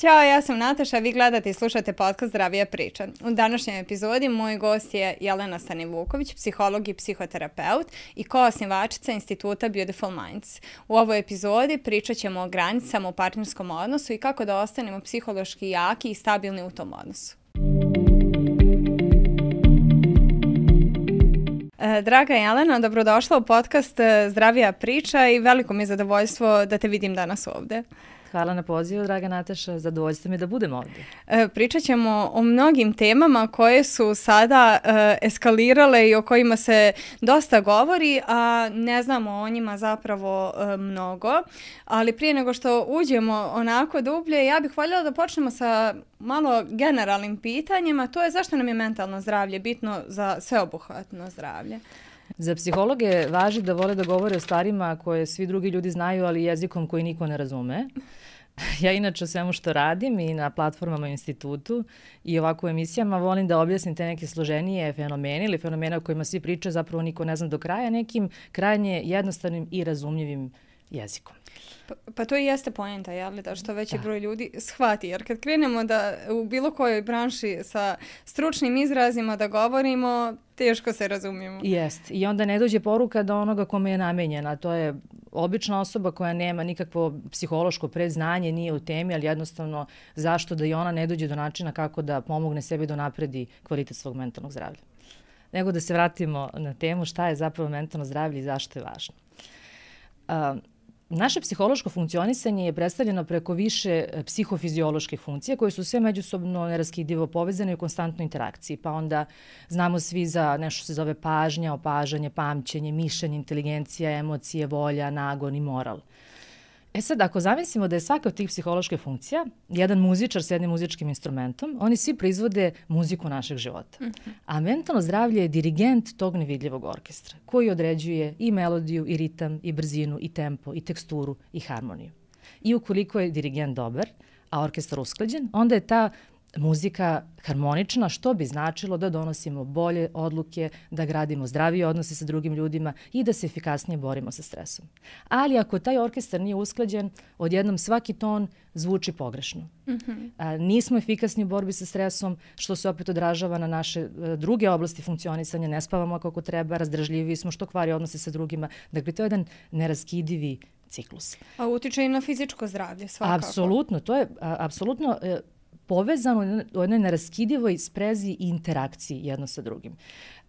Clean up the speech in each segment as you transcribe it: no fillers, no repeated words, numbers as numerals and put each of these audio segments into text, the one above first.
Ćao, ja sam Nataša, vi gledate i slušate podcast Zdravija priča. U današnjoj epizodi moj gost je Jelena Stanivuković, psiholog i psihoterapeut i koosnivačica Instituta Beautiful Minds. U ovoj epizodi pričat ćemo o granicama u partnerskom odnosu i kako da ostanemo psihološki jaki i stabilni u tom odnosu. Draga Jelena, dobrodošla u podcast Zdravija priča i veliko mi je zadovoljstvo da te vidim danas ovde. Hvala na pozivu, draga Nataša. Zadovoljstvo mi je da budem ovdje. Pričat ćemo o mnogim temama koje su sada eskalirale i o kojima se dosta govori, a ne znamo o njima zapravo mnogo. Ali prije nego što uđemo onako dublje, ja bih voljela da počnemo sa malo generalnim pitanjima. To je zašto nam je mentalno zdravlje bitno za sveobuhvatno zdravlje? Za psihologe važi da vole da govore o stvarima koje svi drugi ljudi znaju, ali jezikom koji niko ne razume. Ja inače o svemu što radim i na platformama u institutu i ovako u emisijama volim da objasnim te neke složenije fenomene ili fenomene o kojima svi pričaju, zapravo niko ne zna do kraja, nekim krajnje jednostavnim i razumljivim jezikom. Pa to i jeste poenta, jel? Da što veći broj ljudi shvati. Jer kad krenemo da u bilo kojoj branši sa stručnim izrazima da govorimo, teško se razumijemo. Jest. I onda ne dođe poruka do onoga kome je namenjena. To je obična osoba koja nema nikakvo psihološko predznanje, nije u temi, ali jednostavno zašto da i ona ne dođe do načina kako da pomogne sebi da napredi kvalitet svog mentalnog zdravlja. Nego da se vratimo na temu šta je zapravo mentalno zdravlje i zašto je važno. Naše psihološko funkcionisanje je predstavljeno preko više psihofizioloških funkcija koje su sve međusobno neraskidivo povezane i u konstantnoj interakciji. Pa onda znamo svi za nešto se zove pažnja, opažanje, pamćenje, mišljenje, inteligencija, emocije, volja, nagon i moral. E sad, ako zamislimo da je svaka od tih psiholoških funkcija jedan muzičar s jednim muzičkim instrumentom, oni svi proizvode muziku našeg života. A mentalno zdravlje je dirigent tog nevidljivog orkestra koji određuje i melodiju, i ritam, i brzinu, i tempo, i teksturu, i harmoniju. I ukoliko je dirigent dobar, a orkestar usklađen, onda je ta muzika harmonična, što bi značilo da donosimo bolje odluke, da gradimo zdravije odnose sa drugim ljudima i da se efikasnije borimo sa stresom. Ali ako taj orkestar nije usklađen, odjednom svaki ton zvuči pogrešno. Nismo efikasni u borbi sa stresom, što se opet odražava na naše druge oblasti funkcionisanja, ne spavamo kako treba, razdražljivi smo, što kvari odnose sa drugima. Dakle, to je jedan neraskidivi ciklus. A utiče i na fizičko zdravlje svakako. Apsolutno, to je apsolutno povezano u jednoj neraskidivoj sprezi i interakciji jedno sa drugim.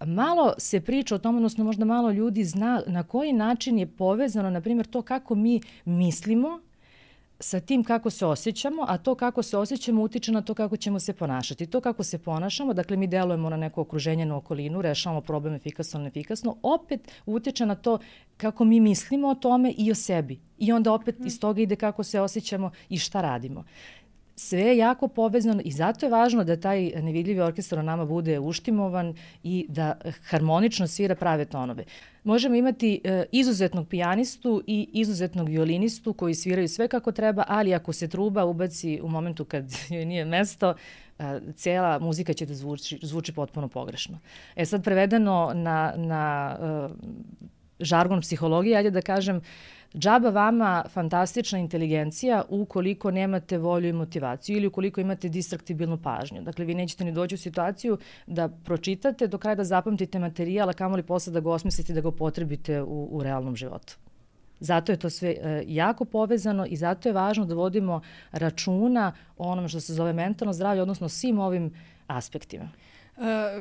Malo se priča o tom, odnosno možda malo ljudi zna na koji način je povezano, na primjer, to kako mi mislimo sa tim kako se osjećamo, a to kako se osjećamo utiče na to kako ćemo se ponašati. To kako se ponašamo, dakle mi delujemo na neko okruženje, na okolinu, rešavamo problem efikasno, neefikasno, opet utiče na to kako mi mislimo o tome i o sebi. I onda opet iz toga ide kako se osjećamo i šta radimo. Sve je jako povezano i zato je važno da taj nevidljivi orkestar o nama bude uštimovan i da harmonično svira prave tonove. Možemo imati izuzetnog pijanistu i izuzetnog violinistu koji sviraju sve kako treba, ali ako se truba ubaci u momentu kad joj nije mesto, cijela muzika će da zvuči potpuno pogrešno. E sad prevedeno na žargon psihologije, ajde da kažem, džaba vama fantastična inteligencija ukoliko nemate volju i motivaciju ili ukoliko imate distraktibilnu pažnju. Dakle, vi nećete ni doći u situaciju da pročitate do kraja da zapamtite materijal, a kamoli posle da ga osmislite i da ga upotrebite u realnom životu. Zato je to sve jako povezano i zato je važno da vodimo računa o onome što se zove mentalno zdravlje, odnosno svim ovim aspektima.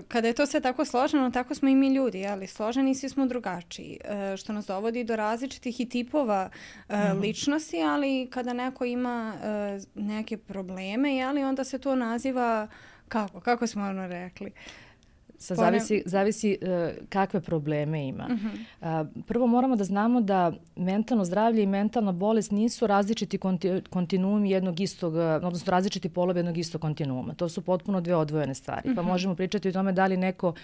Kada je to sve tako složeno, tako smo i mi ljudi, ali složeni svi smo drugačiji, što nas dovodi do različitih i tipova ličnosti, ali kada neko ima neke probleme, ali onda se to naziva kako smo ono rekli? Zavisi kakve probleme ima. Prvo moramo da znamo da mentalno zdravlje i mentalna bolest nisu različiti kontinuumi jednog istog, odnosno različiti polovi jednog istog kontinuuma. To su potpuno dve odvojene stvari. Pa možemo pričati o tome da li neko,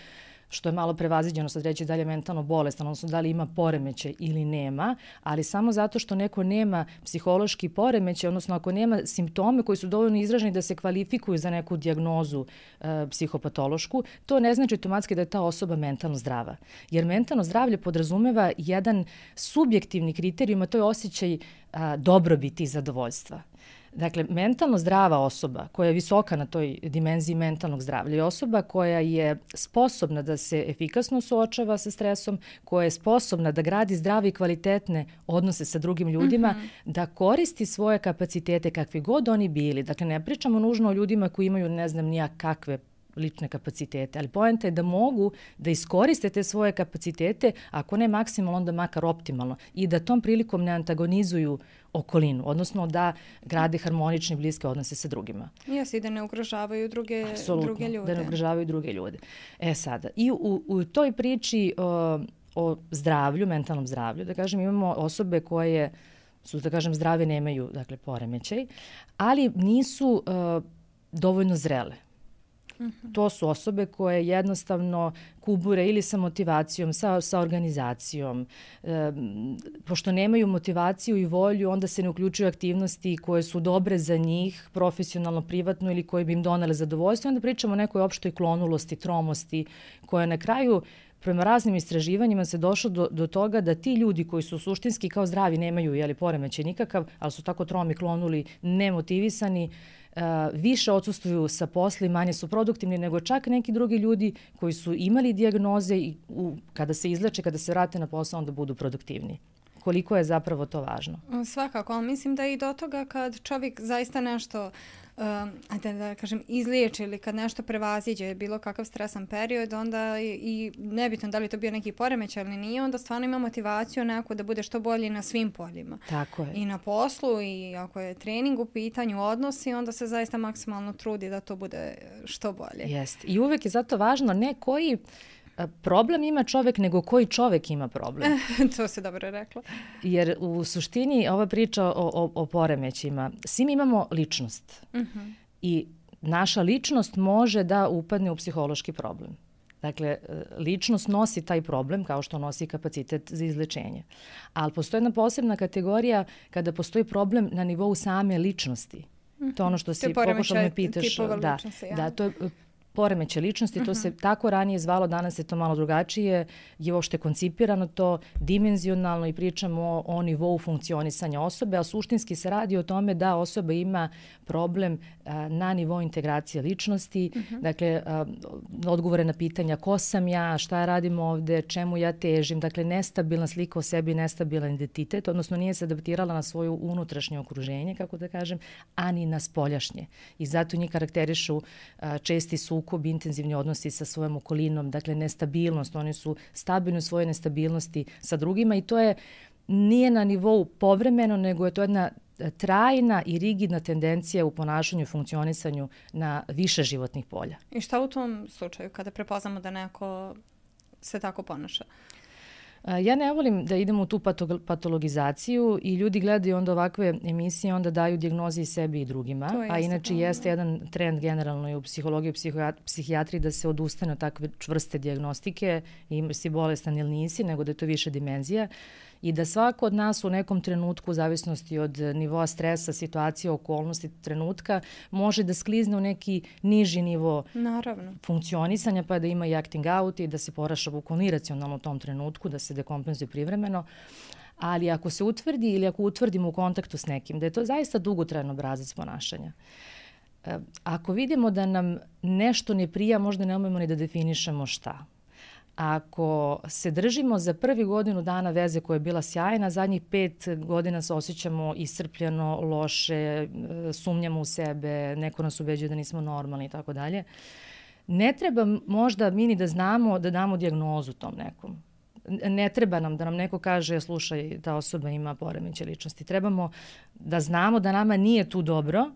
što je malo prevaziđeno sad reći da li je mentalno bolestan, odnosno da li ima poremećaj ili nema, ali samo zato što neko nema psihološki poremećaj, odnosno ako nema simptome koji su dovoljno izraženi da se kvalifikuju za neku dijagnozu psihopatološku, to ne znači automatski da je ta osoba mentalno zdrava. Jer mentalno zdravlje podrazumeva jedan subjektivni kriterijum, a to je osjećaj dobrobiti i zadovoljstva. Dakle, mentalno zdrava osoba koja je visoka na toj dimenziji mentalnog zdravlja je osoba koja je sposobna da se efikasno suočava sa stresom, koja je sposobna da gradi zdrave i kvalitetne odnose sa drugim ljudima, da koristi svoje kapacitete kakvi god oni bili. Dakle, ne pričamo nužno o ljudima koji imaju ne znam nija kakve lične kapacitete, ali poenta je da mogu da iskoriste te svoje kapacitete, ako ne maksimalno, onda makar optimalno i da tom prilikom ne antagonizuju okolinu, odnosno da grade harmonične bliske odnose sa drugima. Jesi, da ne ugrožavaju druge ljude. Da ne ugrožavaju druge ljude. Sada, i u toj priči o zdravlju, mentalnom zdravlju, da kažem, imamo osobe koje su, da kažem, zdrave, nemaju, dakle, poremećaj, ali nisu dovoljno zrele. To su osobe koje jednostavno kubure ili sa motivacijom, sa organizacijom. Pošto nemaju motivaciju i volju, onda se ne uključuju aktivnosti koje su dobre za njih, profesionalno, privatno ili koje bi im donale zadovoljstvo. Onda pričamo o nekoj opštoj klonulosti, tromosti, koja na kraju, prema raznim istraživanjima, se došlo do toga da ti ljudi koji su suštinski kao zdravi, nemaju poremećaj nikakav, ali su tako tromi, klonuli, nemotivisani, više odsustvuju sa posla i manje su produktivni nego čak neki drugi ljudi koji su imali dijagnoze i kada se izleče, kada se vrate na posao, onda budu produktivni. Koliko je zapravo to važno? Svakako, ali mislim da i do toga kad čovjek zaista nešto da kažem, izliječi ili kad nešto prevaziđe bilo kakav stresan period, onda i nebitno da li to bio neki poremećaj ili nije, onda stvarno ima motivaciju neku da bude što bolji na svim poljima. Tako je. I na poslu, i ako je trening u pitanju, odnosi, onda se zaista maksimalno trudi da to bude što bolje. Jeste. I uvek je zato važno ne koji problem ima čovjek, nego koji čovjek ima problem. To se dobro rekla. Jer u suštini ova priča o poremećima, svi mi imamo ličnost. I naša ličnost može da upadne u psihološki problem. Dakle, ličnost nosi taj problem kao što nosi kapacitet za izlečenje. Ali postoji jedna posebna kategorija kada postoji problem na nivou same ličnosti. To je ono što si pokušala me pitaš. Da, to je poremećaj ličnosti, to se tako ranije zvalo, danas je to malo drugačije, je uopšte koncipirano to dimenzionalno i pričamo o nivou funkcionisanja osobe, a suštinski se radi o tome da osoba ima problem na nivou integracije ličnosti, dakle, odgovore na pitanja ko sam ja, šta radim ovde, čemu ja težim, dakle, nestabilna slika o sebi, nestabilan identitet, odnosno nije se adaptirala na svoju unutrašnje okruženje, kako da kažem, ani na spoljašnje. I zato njih karakterišu česti sukob, intenzivni odnosi sa svojom okolinom, dakle nestabilnost, oni su stabilni u svojoj nestabilnosti sa drugima i to nije na nivou povremeno, nego je to jedna trajna i rigidna tendencija u ponašanju i funkcionisanju na više životnih polja. I šta u tom slučaju kada prepoznamo da neko se tako ponaša? Ja ne volim da idemo u tu patologizaciju i ljudi gledaju onda ovakve emisije, onda daju dijagnoze i sebi i drugima. A inače jeste jedan trend generalno i u psihologiji i psihijatriji da se odustane od takve čvrste dijagnostike, i si bolestan ili nisi, nego da je to više dimenzija. I da svako od nas u nekom trenutku, u zavisnosti od nivoa stresa, situacije, okolnosti, trenutka, može da sklizne u neki niži nivo funkcionisanja, pa da ima i acting out i da se ponaša bukvalno iracionalno u tom trenutku, da se dekompenzuje privremeno. Ali ako se utvrdi ili ako utvrdimo u kontaktu s nekim, da je to zaista dugotrajan obrazac ponašanja. Ako vidimo da nam nešto ne prija, možda ne umemo ni da definišemo šta. Ako se držimo za prvi godinu dana veze koja je bila sjajna, zadnjih 5 godina se osjećamo iscrpljeno, loše, sumnjamo u sebe, neko nas ubeđuje da nismo normalni i tako dalje. Ne treba možda mi ni da znamo da damo dijagnozu tom nekom. Ne treba nam da nam neko kaže, slušaj, ta osoba ima poremećaj ličnosti. Trebamo da znamo da nama nije tu dobro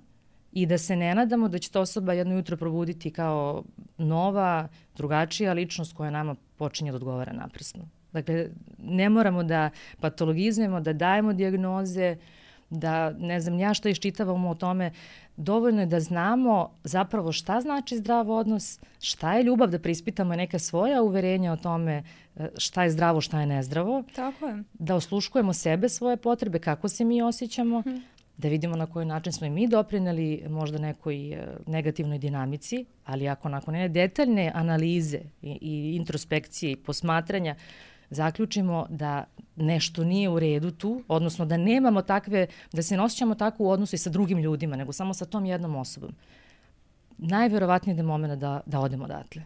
i da se ne nadamo da će ta osoba jedno jutro probuditi kao nova, drugačija ličnost koja nama počinje da odgovara naprasno. Dakle, ne moramo da patologizujemo, da dajemo dijagnoze, da ne znam ja što iščitavamo o tome. Dovoljno je da znamo zapravo šta znači zdrav odnos, šta je ljubav, da preispitamo neka svoja uverenja o tome šta je zdravo, šta je nezdravo. Tako je. Da osluškujemo sebe, svoje potrebe, kako se mi osjećamo, da vidimo na koji način smo i mi doprineli možda nekoj negativnoj dinamici, ali ako nakon detaljne analize i introspekcije i posmatranja zaključimo da nešto nije u redu tu, odnosno da nemamo takve, da se ne osjećamo tako u odnosu i sa drugim ljudima, nego samo sa tom jednom osobom, najverovatnije da je moment da odemo odatle.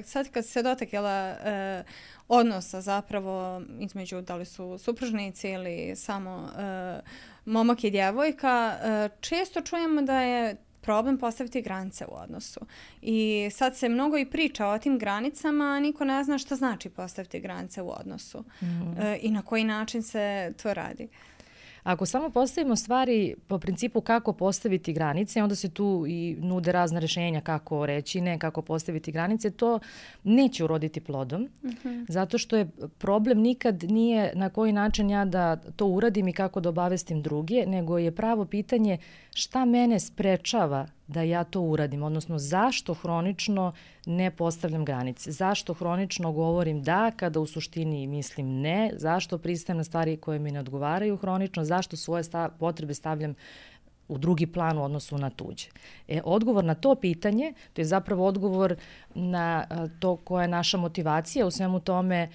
Sad kad se dotakla odnosa zapravo između da li su supružnici ili samo momak i djevojka, često čujemo da je problem postaviti granice u odnosu. I sad se mnogo i priča o tim granicama, a niko ne zna šta znači postaviti granice u odnosu i na koji način se to radi. Ako samo postavimo stvari po principu kako postaviti granice, onda se tu i nude razna rješenja kako reći ne, kako postaviti granice, to neće uroditi plodom, zato što je problem nikad nije na koji način ja da to uradim i kako da obavestim druge, nego je pravo pitanje šta mene sprečava da ja to uradim, odnosno zašto hronično ne postavljam granice, zašto hronično govorim da kada u suštini mislim ne, zašto pristajem na stvari koje mi ne odgovaraju hronično, zašto svoje potrebe stavljam u drugi plan u odnosu na tuđe. Odgovor na to pitanje, to je zapravo odgovor na to koja je naša motivacija u svemu tome,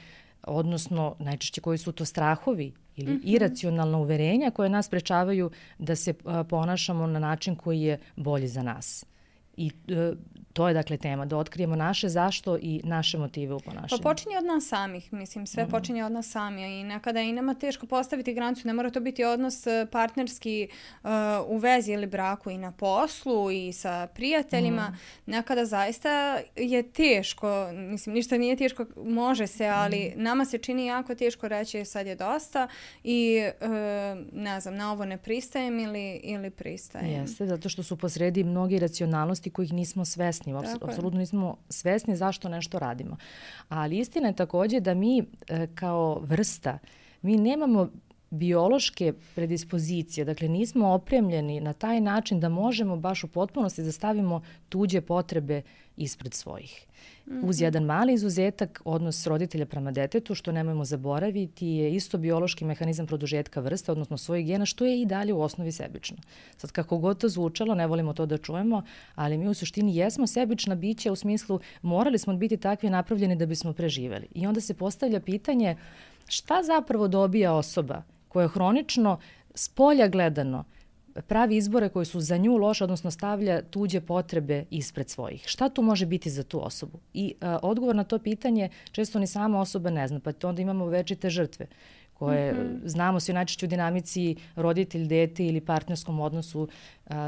odnosno najčešće koji su to strahovi ili iracionalna uverenja koje nas sprečavaju da se ponašamo na način koji je bolji za nas. I to je dakle tema, da otkrijemo naše zašto i naše motive u ponašanju. Pa počinje od nas samih, mislim, sve počinje od nas sami i nekada i nama teško postaviti granicu, ne mora to biti odnos partnerski u vezi ili braku i na poslu i sa prijateljima, nekada zaista je teško, mislim, ništa nije teško, može se, ali nama se čini jako teško reći sad je dosta i ne znam, na ovo ne pristajem ili pristajem. Jeste, zato što su posredi mnogi racionalnosti kojih nismo svesni. Apsolutno nismo svesni zašto nešto radimo. Ali istina je također da mi kao vrsta, mi nemamo biološke predispozicije, dakle nismo opremljeni na taj način da možemo baš u potpunosti da stavimo tuđe potrebe ispred svojih. Uz jedan mali izuzetak, odnos roditelja prema detetu, što nemojmo zaboraviti, je isto biološki mehanizam produžetka vrste, odnosno svojih gena, što je i dalje u osnovi sebično. Sad, kako god to zvučalo, ne volimo to da čujemo, ali mi u suštini jesmo sebična bića u smislu morali smo biti takvi napravljeni da bismo preživeli. I onda se postavlja pitanje šta zapravo dobija osoba koja hronično, s polja gledano, pravi izbore koji su za nju loše, odnosno stavlja tuđe potrebe ispred svojih. Šta tu može biti za tu osobu? I odgovor na to pitanje često ni sama osoba ne zna, pa onda imamo večite žrtve koje znamo se najčešće u dinamici roditelj, dete ili partnerskom odnosu.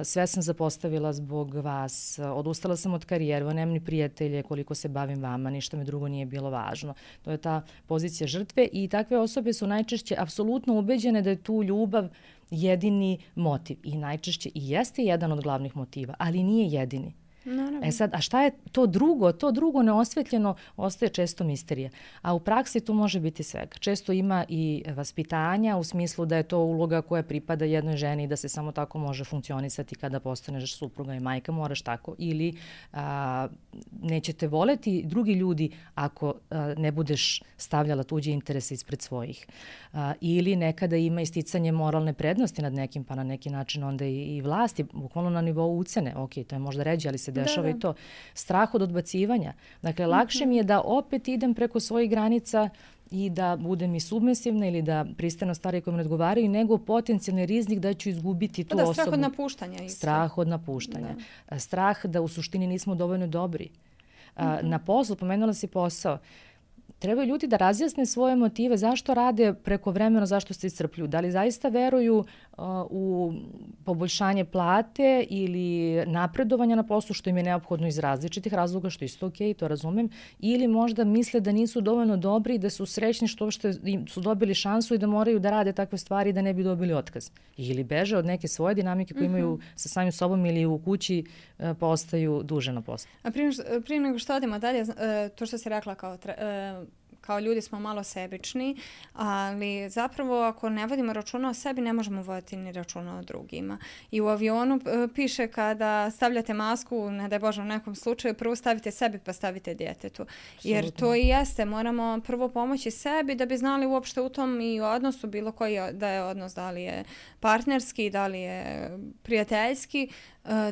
Sve sam zapostavila zbog vas, odustala sam od karijere, nemam ni prijatelje, koliko se bavim vama, ništa mi drugo nije bilo važno. To je ta pozicija žrtve i takve osobe su najčešće apsolutno ubeđene da je tu ljubav jedini motiv i najčešće i jeste jedan od glavnih motiva, ali nije jedini. Naravno. Sad, a šta je to drugo? To drugo neosvetljeno ostaje često misterija. A u praksi to može biti svega. Često ima i vaspitanja u smislu da je to uloga koja pripada jednoj ženi i da se samo tako može funkcionisati kada postaneš supruga i majka, moraš tako. Ili nećete voleti drugi ljudi ako ne budeš stavljala tuđe interese ispred svojih. Ili nekada ima isticanje moralne prednosti nad nekim, pa na neki način onda i vlasti, bukvalno na nivou ucene. Ok, to je možda ređe, ali se dešava i to. Strah od odbacivanja. Dakle, lakše mi je da opet idem preko svojih granica i da budem i submisivna ili da pristajem na stvari koje me ne odgovaraju, nego potencijalni rizik da ću izgubiti tu osobu. Strah od napuštanja. Strah od napuštanja. Strah da u suštini nismo dovoljno dobri. Na poslu, pomenula si posao, trebaju ljudi da razjasne svoje motive, zašto rade preko vremena, zašto se iscrpljuju. Da li zaista veruju u poboljšanje plate ili napredovanja na poslu, što im je neophodno iz različitih razloga, što je isto okej, to razumem, ili možda misle da nisu dovoljno dobri i da su srećni što su dobili šansu i da moraju da rade takve stvari da ne bi dobili otkaz. Ili beže od neke svoje dinamike koje imaju sa samim sobom ili u kući pa ostaju duže na poslu. A prije nego što odemo dalje, to što si rekla kao ljudi smo malo sebični, ali zapravo ako ne vodimo računa o sebi, ne možemo voditi ni računa o drugima. I u avionu piše kada stavljate masku, ne daj Bože u nekom slučaju, prvo stavite sebi pa stavite djetetu. Jer to i jeste, moramo prvo pomoći sebi da bi znali uopšte u tom i odnosu bilo koji da je odnos, da li je partnerski, da li je prijateljski,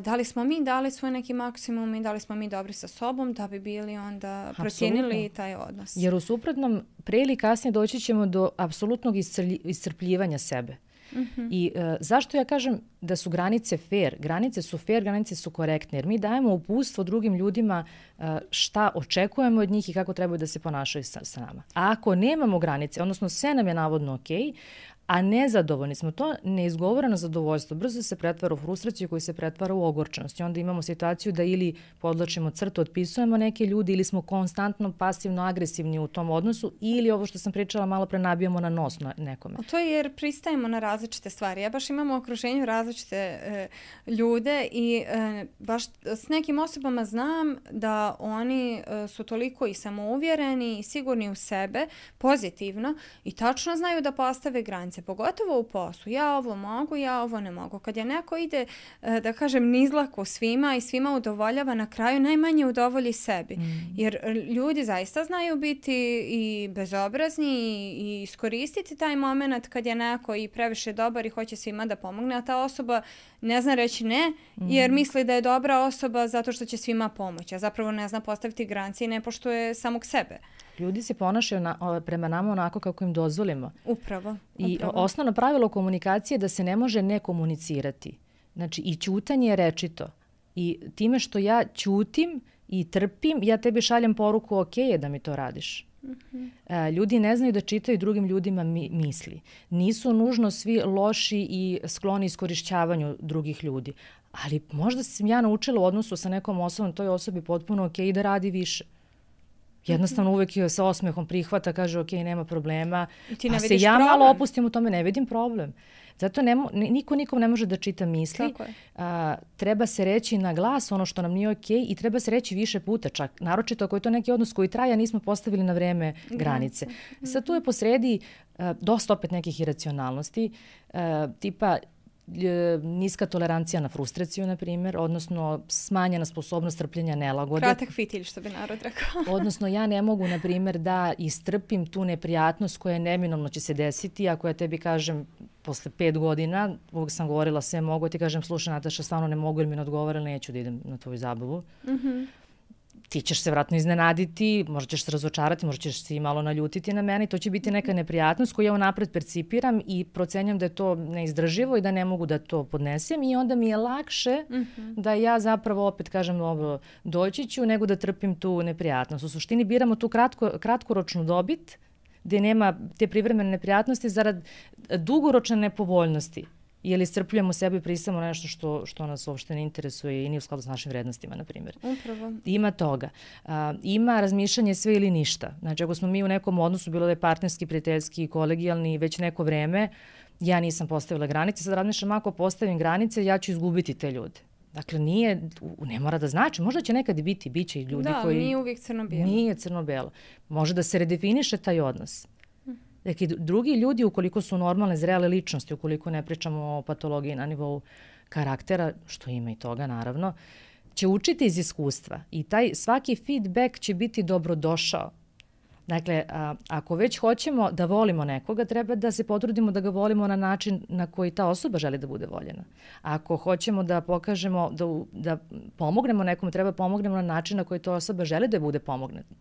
da li smo mi dali svoj neki maksimum i da li smo mi dobri sa sobom da bi bili onda procijenili taj odnos. Jer u suprotnom, pre ili kasnije doći ćemo do apsolutnog iscrpljivanja sebe. I zašto ja kažem da su granice fair? Granice su fair, granice su korektne, jer mi dajemo uputstvo drugim ljudima šta očekujemo od njih i kako trebaju da se ponašaju sa nama. A ako nemamo granice, odnosno sve nam je navodno okej, a nezadovoljni smo, to neizgovoreno zadovoljstvo brzo se pretvara u frustraciju koji se pretvara u ogorčenost. I onda imamo situaciju da ili podlačimo crtu, otpisujemo neke ljudi ili smo konstantno pasivno agresivni u tom odnosu ili ovo što sam pričala malo pre nabijamo na nos na nekome. A to je jer pristajemo na različite stvari. Ja baš imam u okruženju različite ljude i baš s nekim osobama znam da oni su toliko i samouvjereni i sigurni u sebe, pozitivno i tačno znaju da postave granice. Pogotovo u poslu. Ja ovo mogu, ja ovo ne mogu. Kad je neko ide, da kažem, nizlako svima i svima udovoljava, na kraju najmanje udovolji sebi. Jer ljudi zaista znaju biti i bezobrazni i iskoristiti taj moment kad je neko i previše dobar i hoće svima da pomogne, a ta osoba ne zna reći ne, jer misli da je dobra osoba zato što će svima pomoći, a zapravo ne zna postaviti granice i ne poštuje samog sebe. Ljudi se ponašaju prema nama onako kako im dozvolimo. Upravo. I osnovno pravilo komunikacije je da se ne može ne komunicirati. Znači i ćutanje je rečito. I time što ja ćutim i trpim, ja tebi šaljem poruku ok je da mi to radiš. Ljudi ne znaju da čitaju drugim ljudima misli. Nisu nužno svi loši i skloni iskorišćavanju drugih ljudi. Ali možda sam ja naučila u odnosu sa nekom osobom, toj osobi potpuno ok da radi više. Jednostavno uvek je sa osmehom prihvata, kaže ok, nema problema. A se ja malo opustim u tome, ne vidim problem. Zato niko nikom ne može da čita misli. Treba se reći na glas ono što nam nije ok i treba se reći više puta čak. Naročito ako je to neki odnos koji traje, nismo postavili na vreme granice. Sad tu je posredi dosta opet nekih iracionalnosti, tipa niska tolerancija na frustraciju, na primjer, odnosno smanjena sposobnost trpljenja nelagode. Kratak fitilj, što bi narod rekao. Odnosno, ja ne mogu, na primjer, da istrpim tu neprijatnost koja neminovno će se desiti, ako ja tebi kažem posle 5 godina, uvijek sam govorila sve mogu, ti kažem, slušaj Nataša, stvarno ne mogu jer mi ne odgovara, neću da idem na tvoju zabavu. Ti ćeš se vratno iznenaditi, možda ćeš se razočarati, možda ćeš se i malo naljutiti na mene i to će biti neka neprijatnost koju ja unapred percipiram i procenjam da je to neizdrživo i da ne mogu da to podnesem i onda mi je lakše da ja zapravo opet kažem doći ću nego da trpim tu neprijatnost. U suštini biramo tu kratkoročnu dobit gdje nema te privremene neprijatnosti zarad dugoročne nepovoljnosti. Ili iscrpljujemo sebe i pristajemo na nešto što nas uopšte ne interesuje i nije u skladu s našim vrednostima, na primjer. Upravo. Ima toga. Ima razmišljanje sve ili ništa. Znači, ako smo mi u nekom odnosu, bilo da je partnerski, prijateljski, kolegijalni, već neko vreme, ja nisam postavila granice, sad razmišljam, ako postavim granice, ja ću izgubiti te ljude. Dakle, ne mora da znači. Možda će nekad biti, bit će i ljudi koji... Da, nije uvijek crno-bijelo. Nije crno-bijelo. Može da se redefiniše taj odnos. Dakle, drugi ljudi, ukoliko su normalne, zrele ličnosti, ukoliko ne pričamo o patologiji na nivou karaktera, što ima i toga, naravno, će učiti iz iskustva i taj svaki feedback će biti dobrodošao. Dakle, ako već hoćemo da volimo nekoga, treba da se potrudimo da ga volimo na način na koji ta osoba želi da bude voljena. Ako hoćemo da pokažemo, da pomognemo nekom, treba pomognemo na način na koji ta osoba želi da bude pomogneta.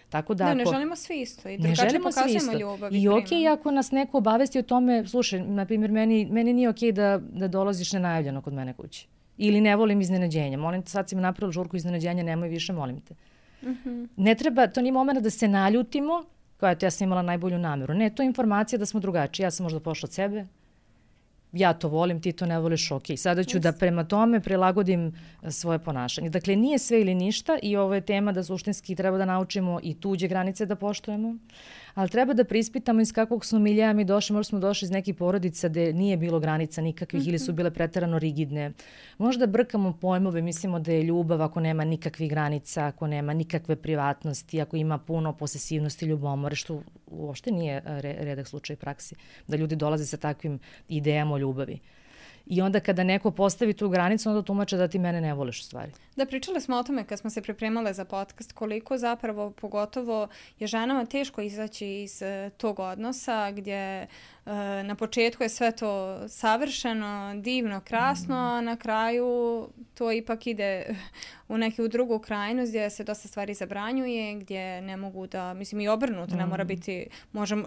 Tako da ne želimo svi isto i drugačije pokazujemo ljubav. I okej, ako nas neko obavesti o tome, slušaj, na primjer, meni nije okej da dolaziš nenajavljeno kod mene kući. Ili ne volim iznenađenja. Molim te, sad si mi napravila žurku iznenađenja, nemoj više, molim te. Ne treba, to nije moment da se naljutimo, kao ja sam imala najbolju namjeru. Ne, to je informacija da smo drugačiji. Ja sam možda pošla od sebe, ja to volim, ti to ne voliš, ok. Sada ću da prema tome prilagodim svoje ponašanje. Dakle, nije sve ili ništa i ovo je tema da suštinski treba da naučimo i tuđe granice da poštujemo, ali treba da prispitamo iz kakvog smo miljeja mi došli. Možda smo došli iz nekih porodica gde nije bilo granica nikakvih ili su bile preterano rigidne. Možda brkamo pojmove, mislimo da je ljubav ako nema nikakvih granica, ako nema nikakve privatnosti, ako ima puno posesivnosti, ljubomore, što uopšte nije redak slučaj praksi, da ljudi dolaze sa takvim idejama o ljubavi. I onda kada neko postavi tu granicu, onda tumače da ti mene ne voliš u stvari. Da, pričali smo o tome kad smo se pripremale za podcast, koliko zapravo pogotovo je ženama teško izaći iz tog odnosa gdje na početku je sve to savršeno, divno, krasno, a na kraju to ipak ide u neku drugu krajnost gdje se dosta stvari zabranjuje, gdje ne mogu da, mislim i obrnuto, ne mora biti,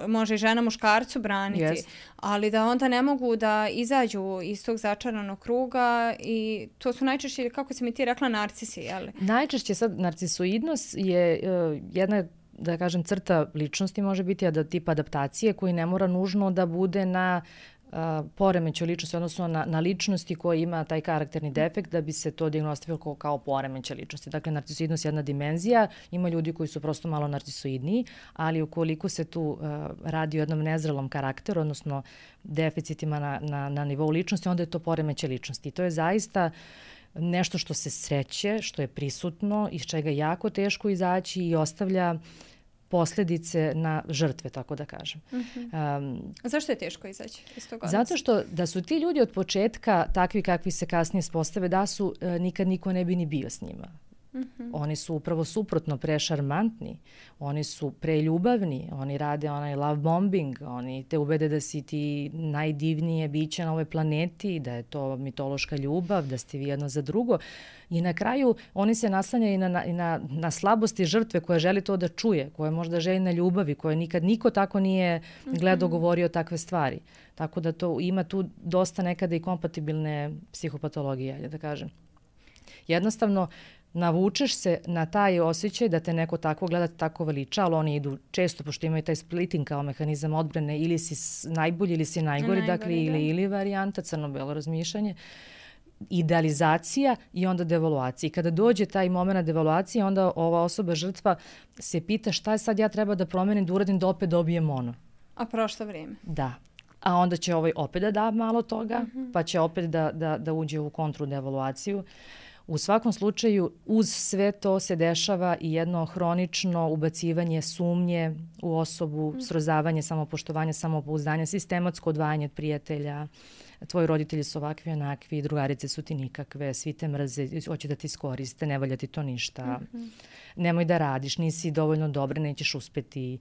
može i žena muškarcu braniti, ali da onda ne mogu da izađu iz tog začaranog kruga i to su najčešće, kako si mi ti rekla, narcisi, jel? Najčešće sad narcisoidnost je jedna, da kažem, crta ličnosti može biti tip adaptacije koji ne mora nužno da bude na poremeću ličnosti, odnosno na ličnosti koja ima taj karakterni defekt da bi se to dijagnostifikalo kao poremeće ličnosti. Dakle, narcisoidnost je jedna dimenzija, ima ljudi koji su prosto malo narcisoidniji, ali ukoliko se tu radi o jednom nezrelom karakteru, odnosno deficitima na nivou ličnosti, onda je to poremeće ličnosti. I to je zaista nešto što se sreće, što je prisutno, iz čega je jako teško izaći i ostavlja posljedice na žrtve, tako da kažem. Zašto je teško izaći iz toga? Zato što da su ti ljudi od početka takvi kakvi se kasnije spostave, da su, nikad niko ne bi ni bio s njima. Oni su upravo suprotno prešarmantni, oni su preljubavni, oni rade onaj love bombing, oni te ubede da si ti najdivnije biće na ovoj planeti, da je to mitološka ljubav, da ste vi jedno za drugo. I na kraju oni se naslanjaju i na slabosti žrtve koja želi to da čuje, koja možda želi na ljubavi, koja nikad niko tako nije gledao, govorio takve stvari. Tako da to ima tu dosta nekada i kompatibilne psihopatologije, da kažem. Jednostavno, navučeš se na taj osjećaj da te neko tako gleda, tako veliča, ali oni idu često, pošto imaju taj splitting kao mehanizam odbrane, ili si najbolji ili si najgori, dakle ili varijanta, crno-belo razmišljanje, idealizacija i onda devaluacija. I kada dođe taj moment devaluacije, onda ova osoba žrtva se pita šta je sad ja treba da promenim, da uradim da opet dobijem ono. A prošlo vrijeme. Da. A onda će opet da da malo toga, pa će opet da uđe u kontru devaluaciju. U svakom slučaju, uz sve to se dešava i jedno hronično ubacivanje sumnje u osobu, srozavanje samopoštovanja, samopouzdanja, sistematsko odvajanje od prijatelja. Tvoji roditelji su ovakvi, onakvi, drugarice su ti nikakve, svi te mrze, hoće da ti iskoriste, ne valja ti to ništa. Nemoj da radiš, nisi dovoljno dobra, nećeš uspeti.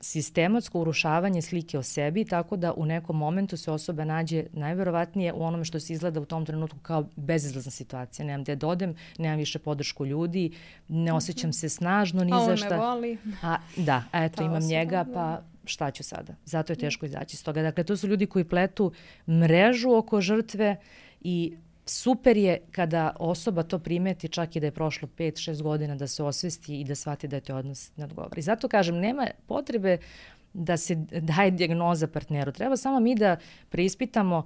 Sistematsko urušavanje slike o sebi, tako da u nekom momentu se osoba nađe najverovatnije u onome što se izgleda u tom trenutku kao bezizlazna situacija. Nemam gde da odem, nemam više podršku ljudi, ne osjećam se snažno ni za šta. A on me voli. Eto, imam njega, pa šta ću sada? Zato je teško izaći iz toga. Dakle, to su ljudi koji pletu mrežu oko žrtve i super je kada osoba to primeti, čak i da je prošlo 5-6 godina, da se osvesti i da shvati da je to odnos ne odgovara. I zato kažem, nema potrebe da se daje dijagnoza partneru. Treba samo mi da preispitamo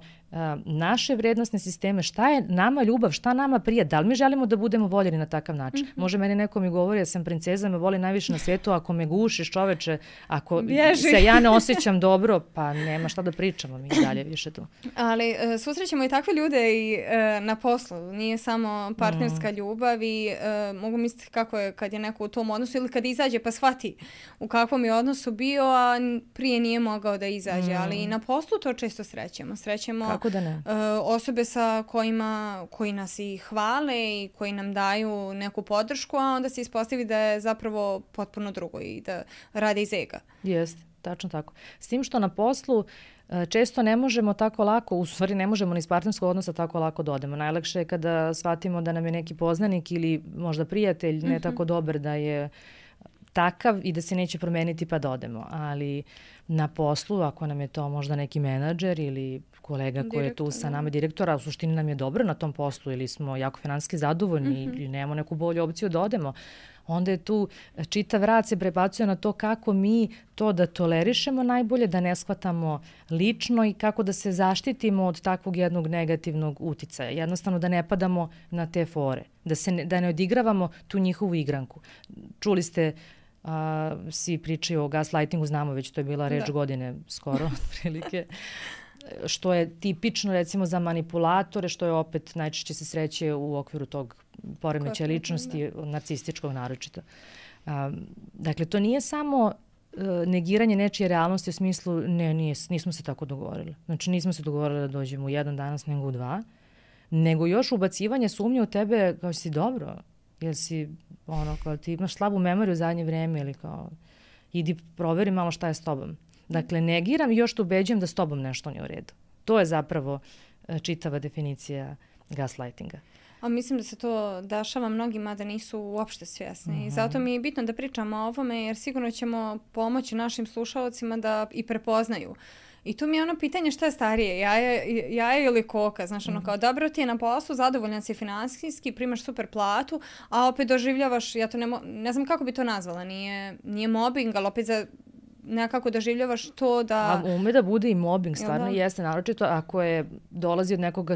naše vrednostne sisteme, šta je nama ljubav, šta nama prija, da li mi želimo da budemo voljeni na takav način. Može meni neko mi govori, ja sam princeza, me voli najviše na svijetu, ako me gušiš, čoveče, ako se ja ne osjećam dobro, pa nema šta da pričamo mi dalje više tu. Ali susrećemo i takve ljude i na poslu, nije samo partnerska ljubav i mogu misliti kako je kad je neko u tom odnosu ili kad izađe pa shvati u kakvom je odnosu bio, a prije nije mogao da izađe, ali i na poslu to često srećemo. Srećemo osobe sa koji nas i hvale i koji nam daju neku podršku, a onda se ispostavi da je zapravo potpuno drugo i da rade iz ega. Jeste, tačno tako. S tim što na poslu često ne možemo tako lako, u stvari ne možemo ni iz partnerskog odnosa tako lako da odemo. Najlakše je kada shvatimo da nam je neki poznanik ili možda prijatelj ne tako dobar da je takav i da se neće promeniti pa da odemo. Ali na poslu, ako nam je to možda neki menadžer ili kolega koji je tu sa nama, direktora, u suštini nam je dobro na tom poslu ili smo jako finansijski zadovoljni ili nemamo neku bolju opciju da odemo, onda je tu čitav rad se prebacuje na to kako mi to da tolerišemo najbolje, da ne shvatamo lično i kako da se zaštitimo od takvog jednog negativnog uticaja. Jednostavno da ne padamo na te fore, da ne odigravamo tu njihovu igranku. Čuli ste svi pričaju o gaslightingu, znamo već, to je bila reč godine skoro, otprilike. Što je tipično recimo za manipulatore, što je opet najčešće se sreće u okviru tog poremećaja ličnosti, narcističkog naročito. Dakle, to nije samo negiranje nečije realnosti u smislu nismo se tako dogovorili. Znači nismo se dogovorili da dođemo u jedan danas nego u dva, nego još ubacivanje sumnje u tebe kao si dobro, jer si kao ti imaš slabu memoriju u zadnje vrijeme ili kao idi proveri malo šta je s tobom. Dakle, negiram i još te ubeđujem da s tobom nešto nije u redu. To je zapravo čitava definicija gaslightinga. A mislim da se to dešava mnogima da nisu uopšte svjesni. I zato mi je bitno da pričamo o ovome jer sigurno ćemo pomoći našim slušalcima da i prepoznaju. I tu mi je ono pitanje šta je starije, jaje ili koka, znaš, ono kao dobro ti je na poslu, zadovoljan si finansijski, primaš super platu, a opet doživljavaš, ja to ne znam kako bi to nazvala, nije mobbing, ali opet nekako doživljavaš to da... A ume da bude i mobbing, stvarno jeste, naročito ako je dolazi od nekoga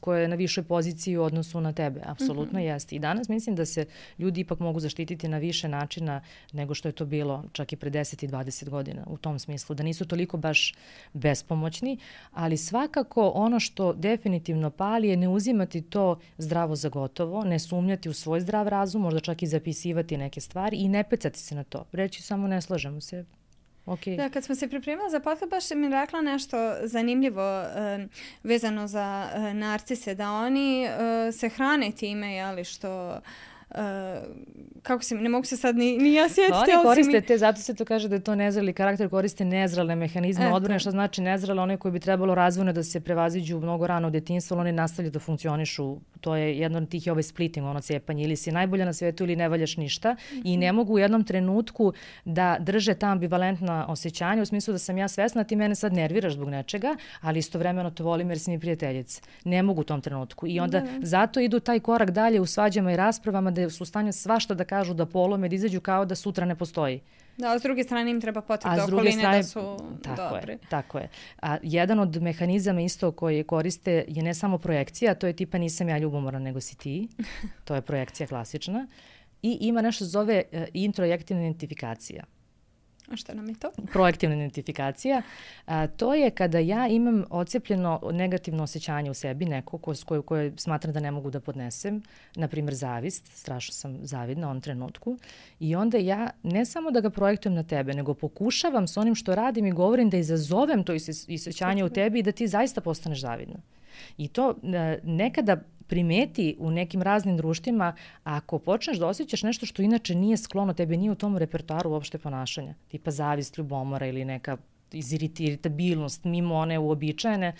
koje je na višoj poziciji u odnosu na tebe, apsolutno jeste. I danas mislim da se ljudi ipak mogu zaštititi na više načina nego što je to bilo čak i pre 10 i 20 godina u tom smislu, da nisu toliko baš bespomoćni, ali svakako ono što definitivno pali je ne uzimati to zdravo za gotovo, ne sumnjati u svoj zdrav razum, možda čak i zapisivati neke stvari i ne pecati se na to. Reći samo ne slažemo se. Okay. Da, kad smo se pripremali za podcast, baš mi rekla nešto zanimljivo vezano za narcise, da oni se hrane time, jeli, što... kako se, ne mogu se sad ni ja sjetiti. Oni koriste zato se to kaže da je to nezreli karakter, koriste nezrele mehanizme odbrane, što znači nezrele, one koji bi trebalo razvojno da se prevaziđu mnogo rano u detinjstvu, ali oni nastavljaju da funkcionišu. To je jedno od tih je splitting, ono cijepanje, ili si najbolja na svijetu ili ne valjaš ništa i ne mogu u jednom trenutku da drže ta ambivalentna osjećanja u smislu da sam ja svesna, ti mene sad nerviraš zbog nečega, ali istovremeno te volim jer si mi prijateljica. Ne mogu u tom trenutku i onda zato idu taj korak dalje u svađama i raspravama da su u stanju svašta da kažu, da polome, da izađu kao da sutra ne postoji. Da, a s druge strane im treba potvrda okoline da su dobri. Tako je. A jedan od mehanizama isto koji koriste je ne samo projekcija, to je tipa nisam ja ljubomoran nego si ti. To je projekcija klasična. I ima nešto zove introjektivna identifikacija. A šta nam je to? Projektivna identifikacija. To je kada ja imam ocijepljeno negativno osjećanje u sebi, neko koje smatram da ne mogu da podnesem, na primjer zavist, strašno sam zavidna u onom trenutku, i onda ja ne samo da ga projektujem na tebe, nego pokušavam s onim što radim i govorim da izazovem to osjećanje u tebi i da ti zaista postaneš zavidna. I to nekada primeti u nekim raznim društvima, ako počneš da osjećaš nešto što inače nije sklono tebe, nije u tom repertoaru uopšte ponašanja, tipa zavist, ljubomora ili neka iritabilnost mimo one uobičajene,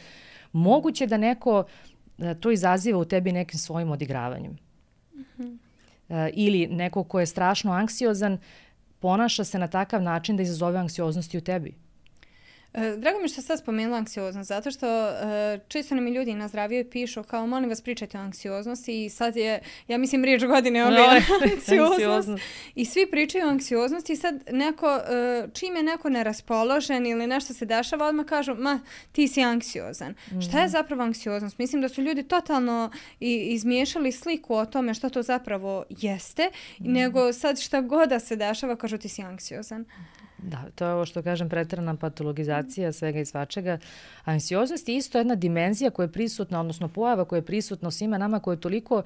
moguće da neko to izaziva u tebi nekim svojim odigravanjem. Ili neko ko je strašno anksiozan ponaša se na takav način da izazove anksioznost i u tebi. Drago mi što sad spomenula anksioznost, zato što često nam i ljudi na zdraviju pišu kao molim vas pričajte o anksioznosti i sad je, ja mislim, riječ godine anksioznost. I svi pričaju o anksioznosti i sad neko, čim je neko neraspoložen ili nešto se dešava, odmah kažu, ma ti si anksiozan. Šta je zapravo anksioznost? Mislim da su ljudi totalno izmiješali sliku o tome što to zapravo jeste, nego sad šta god da se dešava, kažu ti si anksiozan. Da, to je ovo što kažem preterana patologizacija svega i svačega. Anksioznost je isto jedna dimenzija koja je prisutna, odnosno pojava koja je prisutna u svima nama, koja je toliko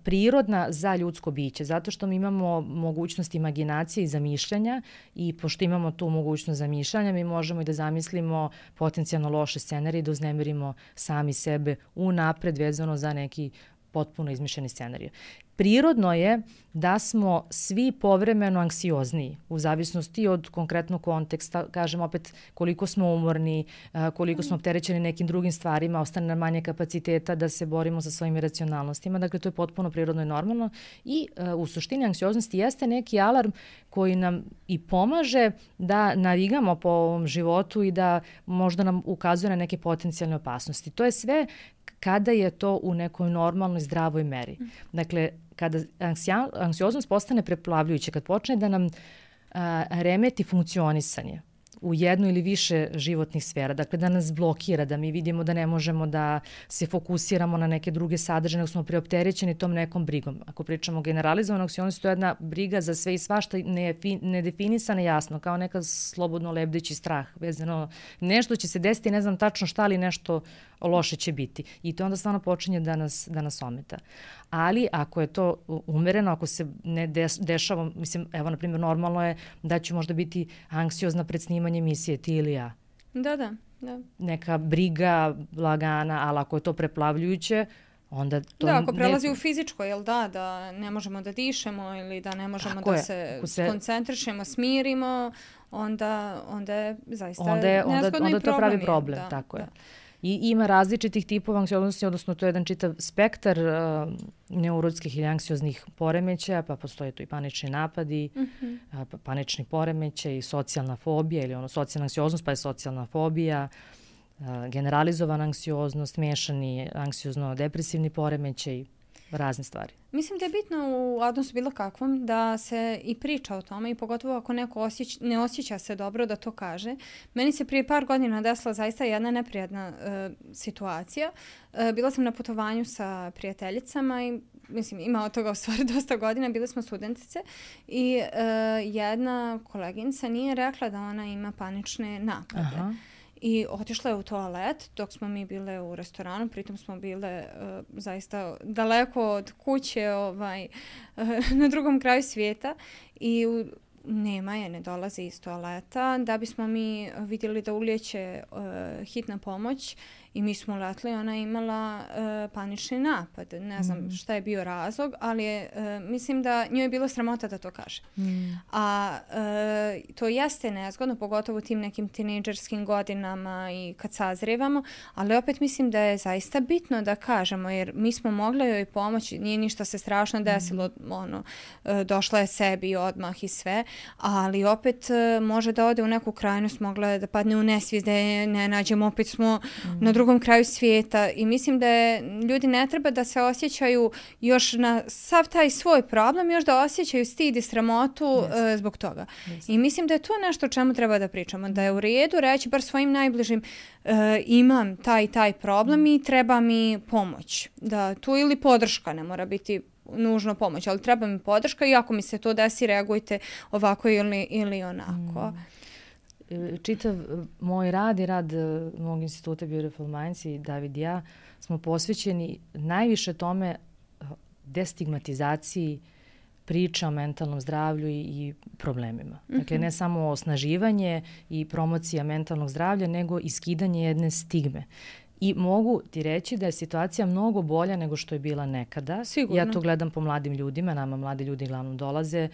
prirodna za ljudsko biće, zato što mi imamo mogućnost imaginacije i zamišljanja i pošto imamo tu mogućnost zamišljanja, mi možemo i da zamislimo potencijalno loše scenarije i da uznemirimo sami sebe unapred vezano za neki potpuno izmišljeni scenarij. Prirodno je da smo svi povremeno anksiozniji u zavisnosti od konkretnog konteksta, kažem opet koliko smo umorni, koliko smo opterećeni nekim drugim stvarima, ostane nam manje kapaciteta da se borimo sa svojim iracionalnostima, dakle to je potpuno prirodno i normalno i u suštini anksioznosti jeste neki alarm koji nam i pomaže da navigamo po ovom životu i da možda nam ukazuje na neke potencijalne opasnosti. To je sve kada je to u nekoj normalnoj, zdravoj meri. Dakle, kada anksioznost postane preplavljujuća, kad počne da nam remeti funkcionisanje u jednu ili više životnih sfera, dakle da nas blokira, da mi vidimo da ne možemo da se fokusiramo na neke druge sadržaje, nego smo preopterećeni tom nekom brigom. Ako pričamo generalizovano, anksioznost to je jedna briga za sve i svašta nedefinisana jasno, kao neka slobodno lebdeći strah, vezano nešto će se desiti, ne znam tačno šta, ali nešto loše će biti. I to onda stvarno počinje da nas ometa. Ali ako je to umereno, ako se ne dešava, mislim, evo, na primjer, normalno je da ću možda biti anksiozna pred snimanje emisije, ti ili ja. Da. Neka briga, lagana, ali ako je to preplavljujuće, onda to... Da, ako prelazi u fizičko, jel da ne možemo da dišemo ili da ne možemo da se skoncentrišemo, smirimo, onda je zaista nezgodno onda i to pravi problem, da, tako da. je. I ima različitih tipova anksioznosti, odnosno to je jedan čitav spektar neurotskih ili anksioznih poremećaja, pa postoje tu i panični napadi, panični poremećaj, socijalna fobija ili socijalna anksioznost, pa je socijalna fobija, generalizovana anksioznost, miješani anksiozno-depresivni poremećaj, razne stvari. Mislim da je bitno u odnosu bilo kakvom da se i priča o tome i pogotovo ako neko ne osjeća se dobro da to kaže. Meni se prije par godina desila zaista jedna neprijatna situacija. Bila sam na putovanju sa prijateljicama i mislim ima od toga u stvari dosta godina, bile smo studentice i jedna koleginica nije rekla da ona ima panične napade. Aha. I otišla je u toalet dok smo mi bile u restoranu, pritom smo bile zaista daleko od kuće na drugom kraju svijeta i nema je, ne dolazi iz toaleta, da bismo mi vidjeli da ulijeće hitna pomoć i mi smo uletli, ona je imala panični napad. Ne znam šta je bio razlog, ali mislim da njoj je bilo sramota da to kaže. A to jeste nezgodno, pogotovo u tim nekim tinejdžerskim godinama i kad sazrijevamo, ali opet mislim da je zaista bitno da kažemo, jer mi smo mogli joj pomoći, nije ništa se strašno desilo, došla je sebi odmah i sve, ali opet može da ode u neku krajnost, mogla je da padne u nesvijest, da je ne nađemo, opet smo na drugom kraju svijeta i mislim da ljudi ne treba da se osjećaju još na sav taj svoj problem, još da osjećaju stid i sramotu zbog toga. I mislim da je to nešto o čemu treba da pričamo, da je u redu reći bar svojim najbližim imam taj problem i treba mi pomoć. Da tu ili podrška, ne mora biti nužno pomoć, ali treba mi podrška i ako mi se to desi, reagujte ovako ili onako. Čitav moj rad i rad mog instituta Beautiful Minds i David i ja smo posvećeni najviše tome destigmatizaciji priča o mentalnom zdravlju i problemima. Dakle, ne samo osnaživanje i promocija mentalnog zdravlja, nego i skidanje jedne stigme. I mogu ti reći da je situacija mnogo bolja nego što je bila nekada. Sigurno. Ja to gledam po mladim ljudima, nama mladi ljudi uglavnom dolaze,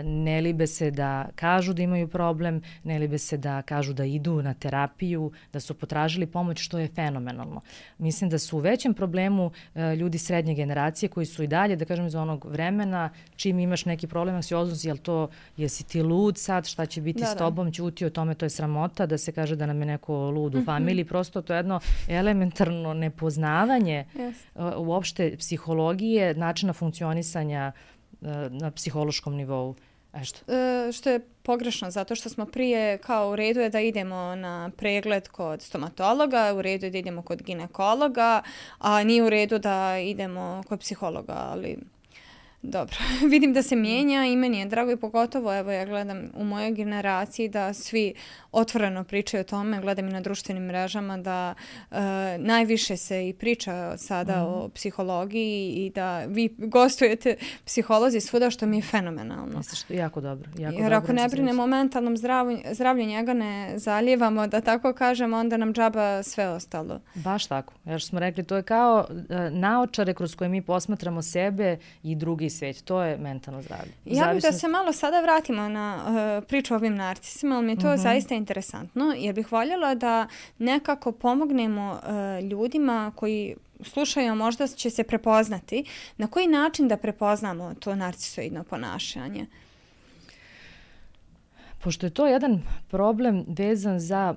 ne libe se da kažu da imaju problem, ne libe se da kažu da idu na terapiju, da su potražili pomoć, što je fenomenalno. Mislim da su u većem problemu ljudi srednje generacije koji su i dalje, da kažem iz onog vremena, čim imaš neki problem anksioznosti, jesi ti lud sad, šta će biti s tobom, ćuti o tome, to je sramota da se kaže da nam je neko lud u familiji, prosto to je jedno elementarno nepoznavanje uopšte psihologije, načina funkcionisanja na psihološkom nivou. Što je pogrešno, zato što smo prije kao u redu je da idemo na pregled kod stomatologa, u redu je da idemo kod ginekologa, a nije u redu da idemo kod psihologa, ali dobro, vidim da se mijenja i meni je drago i pogotovo, evo ja gledam u mojoj generaciji da svi otvoreno pričaju o tome, gledam i na društvenim mrežama da najviše se i priča sada o psihologiji i da vi gostujete psiholozi svuda, što mi je fenomenalno. Misliš, jako dobro. Jer ako ne brinemo o mentalnom zdravlju, njega ne zalijevamo, da tako kažem, onda nam džaba sve ostalo. Baš tako. Jer smo rekli, to je kao naočare kroz koje mi posmatramo sebe i drugi svijet. To je mentalno zdravlje. Ja bih da se malo sada vratimo na priču o ovim narcisima, ali mi je to zaista interesantno, jer bih voljela da nekako pomognemo ljudima koji slušaju, možda će se prepoznati. Na koji način da prepoznamo to narcisoidno ponašanje? Pošto je to jedan problem vezan za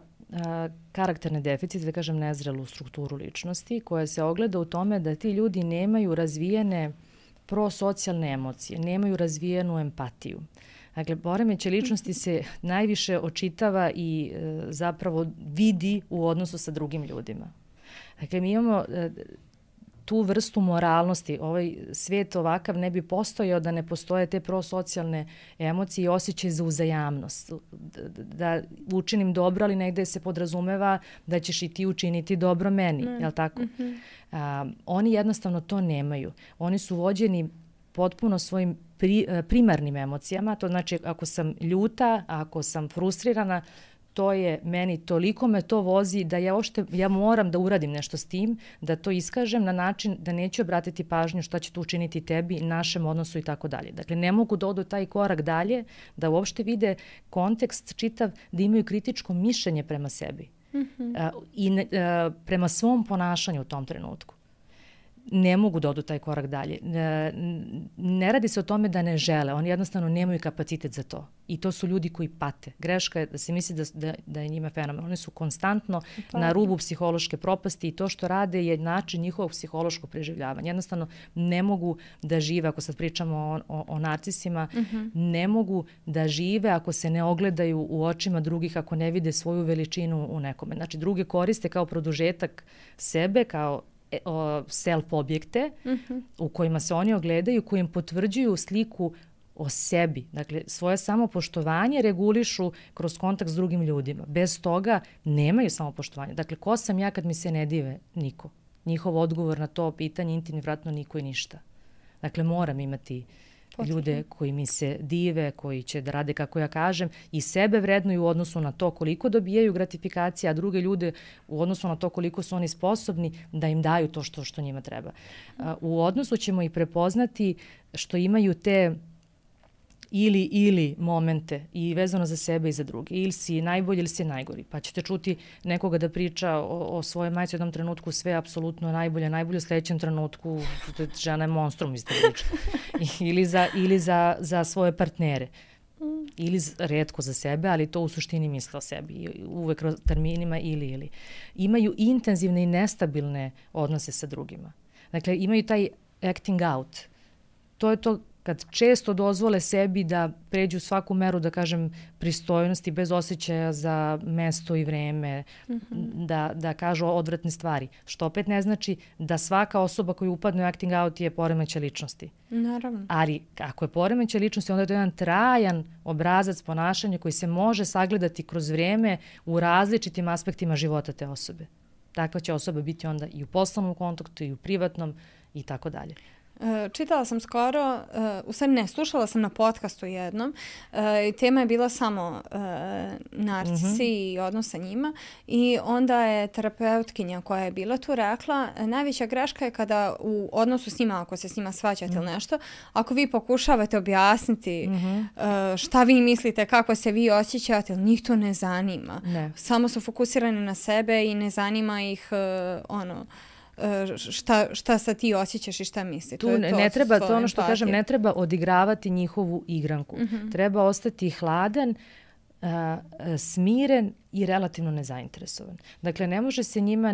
karakterne deficite, da kažem nezrelu strukturu ličnosti, koja se ogleda u tome da ti ljudi nemaju razvijene prosocijalne emocije, nemaju razvijenu empatiju. Dakle, poremećaj ličnosti se najviše očitava i zapravo vidi u odnosu sa drugim ljudima. Dakle, mi imamo tu vrstu moralnosti. Ovaj svijet ovakav ne bi postojao da ne postoje te prosocijalne emocije i osjećaj za uzajamnost. Da učinim dobro, ali negde se podrazumeva da ćeš i ti učiniti dobro meni. Je li tako? Oni jednostavno to nemaju. Oni su vođeni potpuno svojim primarnim emocijama. To znači ako sam ljuta, ako sam frustrirana, to je meni, toliko me to vozi da ja moram da uradim nešto s tim, da to iskažem na način da neću obratiti pažnju šta će to učiniti tebi, našem odnosu i tako dalje. Dakle, ne mogu da odu taj korak dalje, da uopšte vide kontekst čitav, da imaju kritičko mišljenje prema sebi i prema svom ponašanju u tom trenutku. Ne mogu da odu taj korak dalje. Ne radi se o tome da ne žele, oni jednostavno nemaju kapacitet za to. I to su ljudi koji pate. Greška je da se misli da je njima fenomen. Oni su konstantno na rubu psihološke propasti i to što rade je način njihovog psihološkog preživljavanja. Jednostavno ne mogu da žive, ako sad pričamo o narcisima, ne mogu da žive ako se ne ogledaju u očima drugih, ako ne vide svoju veličinu u nekome. Znači, druge koriste kao produžetak sebe, kao self-objekte u kojima se oni ogledaju, kojim potvrđuju sliku o sebi. Dakle, svoje samopoštovanje regulišu kroz kontakt s drugim ljudima. Bez toga nemaju samopoštovanje. Dakle, ko sam ja kad mi se ne dive? Niko. Njihov odgovor na to pitanje intimni vratno niko i ništa. Dakle, moram imati ljude koji mi se dive, koji će da rade kako ja kažem i sebe vrednuju u odnosu na to koliko dobijaju gratifikacije, a druge ljude u odnosu na to koliko su oni sposobni da im daju to što njima treba. U odnosu ćemo i prepoznati što imaju te ili momente i vezano za sebe i za druge. Ili si najbolji ili si najgori. Pa ćete čuti nekoga da priča o svojoj majci u jednom trenutku sve apsolutno najbolje u sljedećem trenutku žena je monstrum iz te priče. Ili za svoje partnere. Ili retko za sebe, ali to u suštini misle o sebi. Uvek terminima ili. Imaju intenzivne i nestabilne odnose sa drugima. Dakle, imaju taj acting out. To je to kad često dozvole sebi da pređu svaku meru, da kažem, pristojnosti bez osjećaja za mesto i vreme, da kažu odvratne stvari. Što opet ne znači da svaka osoba koja upadne u acting out je poremećaj ličnosti. Naravno. Ali ako je poremećaj ličnosti, onda je to jedan trajan obrazac ponašanja koji se može sagledati kroz vreme u različitim aspektima života te osobe. Takva će osoba biti onda i u poslovnom kontaktu i u privatnom i tako dalje. Čitala sam skoro, slušala sam na podcastu jednom, tema je bila samo narcisi i odnos sa njima i onda je terapeutkinja koja je bila tu rekla, najveća greška je kada u odnosu s njima, ako se s njima svađate ili nešto, ako vi pokušavate objasniti šta vi mislite, kako se vi osjećate, njih to ne zanima. Ne. Samo su fokusirani na sebe i ne zanima ih šta sad ti osjećaš i šta misli. To je ono što kažem, ne treba odigravati njihovu igranku. Treba ostati hladan, smiren i relativno nezainteresovan. Dakle, ne može se njima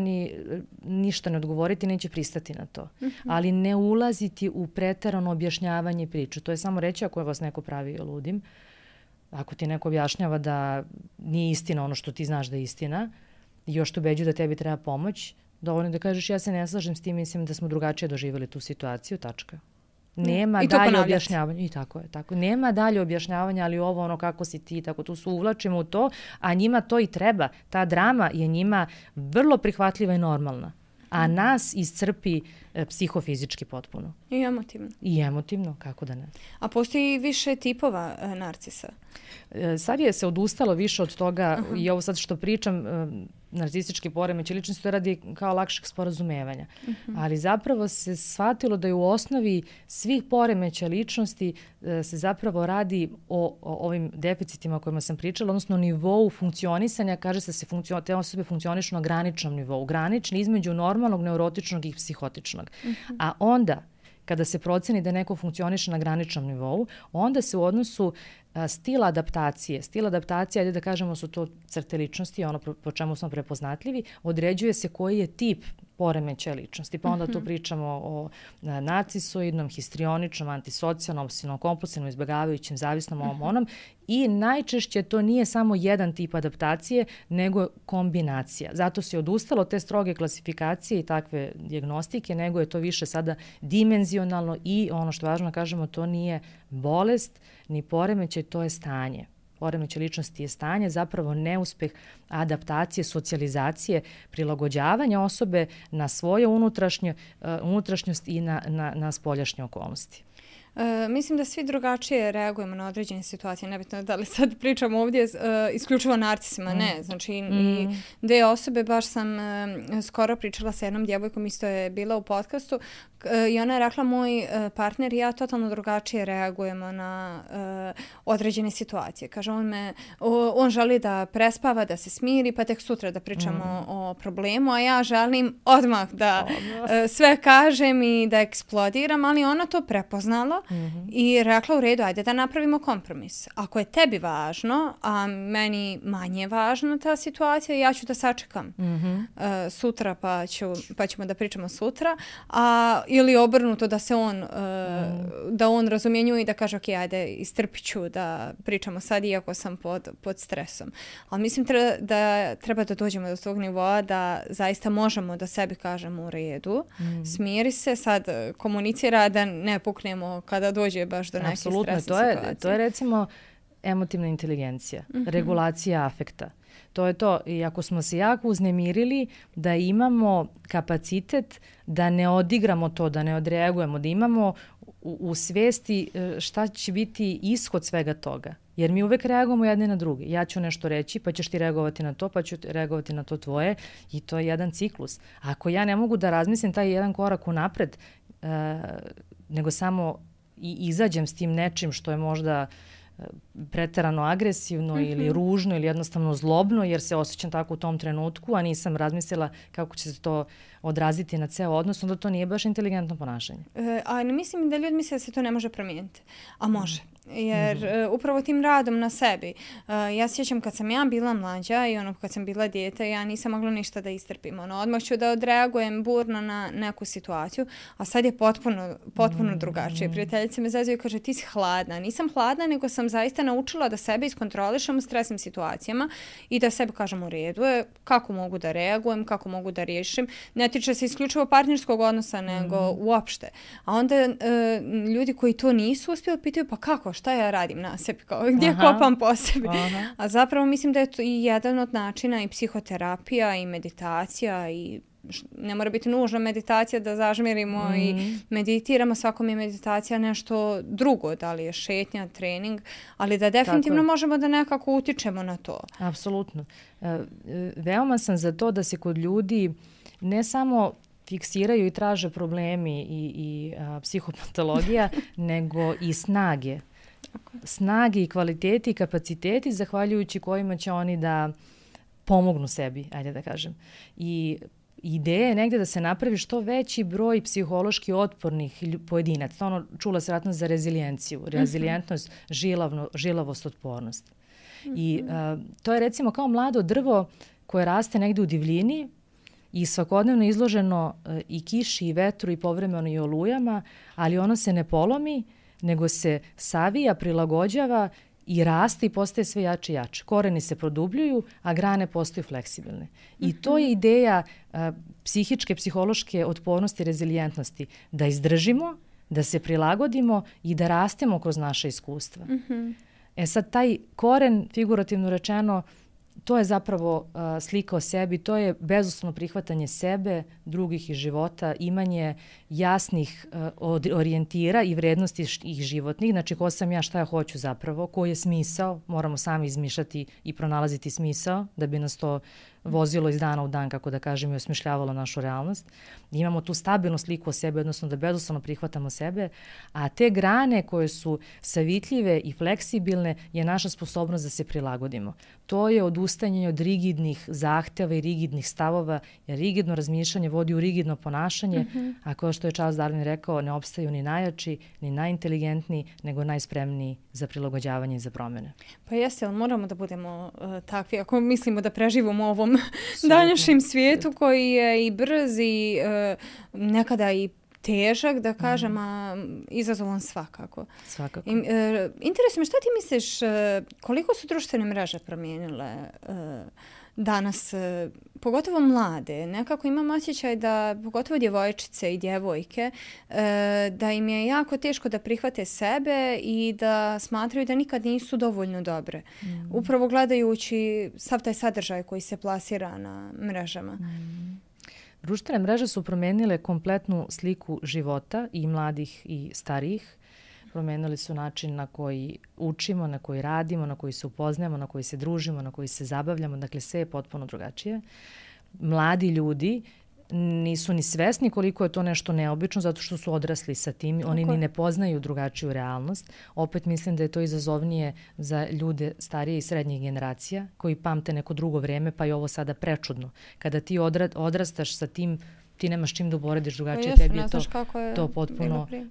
ništa ne odgovoriti, neće pristati na to. Ali ne ulaziti u preterano objašnjavanje priču. To je samo reći ako vas neko pravi ludim. Ako ti neko objašnjava da nije istina ono što ti znaš da je istina i još te ubeđuju da tebi treba pomoć, dovoljno da kažeš ja se ne slažem s tim, mislim da smo drugačije doživjeli tu situaciju, tačka. Nema dalje objašnjavanja. I tako je. Nema dalje objašnjavanja, ali ovo kako si ti, tako tu se uvlačimo u to, a njima to i treba. Ta drama je njima vrlo prihvatljiva i normalna. A nas iscrpi psihofizički potpuno. I emotivno, kako da ne. A postoji više tipova narcisa? Sad je se odustalo više od toga i ovo sad što pričam, narcistički poremećaj ličnosti, to radi kao lakšeg sporazumevanja. Ali zapravo se shvatilo da je u osnovi svih poremećaja ličnosti se zapravo radi o ovim deficitima o kojima sam pričala, odnosno nivou funkcionisanja, kaže se te osobe funkcionišu na graničnom nivou. Granični između normalnog, neurotičnog i psihotičnog. A onda, kada se proceni da neko funkcioniše na graničnom nivou, onda se u odnosu stil adaptacije, ajde da kažemo su to crte ličnosti, ono po čemu smo prepoznatljivi, određuje se koji je tip poremećaja ličnosti. Pa onda tu pričamo o narcisoidnom, histrioničnom, antisocijalnom, obsesivnom kompulsivnom, izbjegavajućem, zavisnom onom i najčešće to nije samo jedan tip adaptacije, nego kombinacija. Zato se odustalo te stroge klasifikacije i takve dijagnostike, nego je to više sada dimenzionalno i ono što je važno da kažemo, to nije bolest ni poremećaj, to je stanje. Poremećaj ličnosti je stanje, zapravo neuspeh adaptacije, socijalizacije, prilagođavanja osobe na svoje unutrašnjost i na spoljašnje okolnosti. Mislim da svi drugačije reagujemo na određene situacije. Nebitno da li sad pričamo ovdje isključivo o narcisima, ne. Znači i dve osobe, baš sam skoro pričala sa jednom djevojkom, isto je bila u podcastu i ona je rekla moj partner i ja totalno drugačije reagujemo na određene situacije. Kaže, on želi da prespava, da se smiri, pa tek sutra da pričamo o problemu, a ja želim odmah da sve kažem i da eksplodiram, ali ona to prepoznala i rekla u redu, ajde da napravimo kompromis. Ako je tebi važno, a meni manje važna ta situacija, ja ću da sačekam sutra pa ćemo da pričamo sutra, ili obrnuto da se da on razumjenjuje i da kaže ok, ajde istrpit ću da pričamo sad iako sam pod stresom. Ali mislim da treba da dođemo do tog nivoa da zaista možemo da sebi kažemo u redu, smiri se, sad komunicira da ne puknemo kada dođe baš do neke stresne situacije. To je recimo emotivna inteligencija, regulacija afekta. To je to. I ako smo se jako uznemirili, da imamo kapacitet da ne odigramo to, da ne odreagujemo, da imamo u svijesti šta će biti ishod svega toga. Jer mi uvek reagujemo jedni na drugi. Ja ću nešto reći, pa ćeš ti reagovati na to, pa ću reagovati na to tvoje. I to je jedan ciklus. Ako ja ne mogu da razmislim taj jedan korak unapred, nego samo izađem s tim nečim što je možda preterano agresivno ili ružno ili jednostavno zlobno jer se osjećam tako u tom trenutku, a nisam razmislila kako će se to odraziti na ceo odnos, onda to nije baš inteligentno ponašanje. A mislim da ljudi misle da se to ne može promijeniti, a može. Jer upravo tim radom na sebi. Ja sjećam kad sam ja bila mlađa i kad sam bila dijete, ja nisam mogla ništa da istrpim. Odmah ću da odreagujem burno na neku situaciju, a sad je potpuno drugačije. Prijateljice me zezaju i kaže ti si hladna. Nisam hladna, nego sam zaista naučila da sebe iskontrolišem u stresnim situacijama i da sebi kažem u redu je kako mogu da reagujem, kako mogu da riješim. Ne tiče se isključivo partnerskog odnosa, nego uopšte. A onda ljudi koji to nisu uspjeli pitaju pa kako, šta ja radim na sebi, gdje kopam po sebi. A zapravo mislim da je to i jedan od načina i psihoterapija i meditacija i ne mora biti nužna meditacija da zažmirimo i meditiramo, svakom je meditacija nešto drugo, da li je šetnja, trening, ali da definitivno možemo da nekako utičemo na to. Apsolutno. Veoma sam za to da se kod ljudi ne samo fiksiraju i traže problemi i psihopatologija, nego i snage. Snage i kvaliteti i kapaciteti zahvaljujući kojima će oni da pomognu sebi, ajde da kažem. I ideja je negdje da se napravi što veći broj psihološki otpornih pojedinaca. Čula se vratno za rezilijenciju. Rezilijentnost, žilavost, otpornost. I to je recimo kao mlado drvo koje raste negdje u divljini i svakodnevno izloženo i kiši i vetru i povremeno i olujama, ali ono se ne polomi, nego se savija, prilagođava i raste i postaje sve jače i jače. Koreni se produbljuju, a grane postaju fleksibilne. I to je ideja psihičke, psihološke otpornosti i rezilijentnosti. Da izdržimo, da se prilagodimo i da rastemo kroz naše iskustva. Sad taj koren, figurativno rečeno, to je zapravo slika o sebi, to je bezuslovno prihvatanje sebe, drugih i života, imanje jasnih orijentira i vrednosti ih životnih, znači ko sam ja, šta ja hoću zapravo, koji je smisao, moramo sami izmišljati i pronalaziti smisao da bi nas to vozilo iz dana u dan, kako da kažem, i osmišljavalo našu realnost. Imamo tu stabilnu sliku o sebi, odnosno da bezuslovno prihvatamo sebe, a te grane koje su savitljive i fleksibilne je naša sposobnost da se prilagodimo. To je odustajanje od rigidnih zahteva i rigidnih stavova, jer rigidno razmišljanje vodi u rigidno ponašanje, a kao što je Charles Darwin rekao, ne opstaju ni najjači, ni najinteligentniji, nego najspremniji za prilagođavanje i za promjene. Pa jeste, ali moramo da budemo takvi, ako mislimo da preživimo u ovom današnjem svijetu koji je i brz i nekada i težak, da kažem, a izazovan svakako. Svakako. Interesuje me, šta ti misliš, koliko su društvene mreže promijenile danas, pogotovo mlade? Nekako imam osjećaj da, pogotovo djevojčice i djevojke, da im je jako teško da prihvate sebe i da smatraju da nikad nisu dovoljno dobre. Upravo gledajući sav taj sadržaj koji se plasira na mrežama. Društvene mreže su promijenile kompletnu sliku života i mladih i starijih. promenili su način na koji učimo, na koji radimo, na koji se upoznajemo, na koji se družimo, na koji se zabavljamo. Dakle, sve je potpuno drugačije. Mladi ljudi nisu ni svesni koliko je to nešto neobično zato što su odrasli sa tim. Oni ni ne poznaju drugačiju realnost. Opet mislim da je to izazovnije za ljude starije i srednjih generacija koji pamte neko drugo vreme, pa je ovo sada prečudno. Kada ti odrastaš sa tim, ti nemaš čim da uporediš drugačije, tebi je to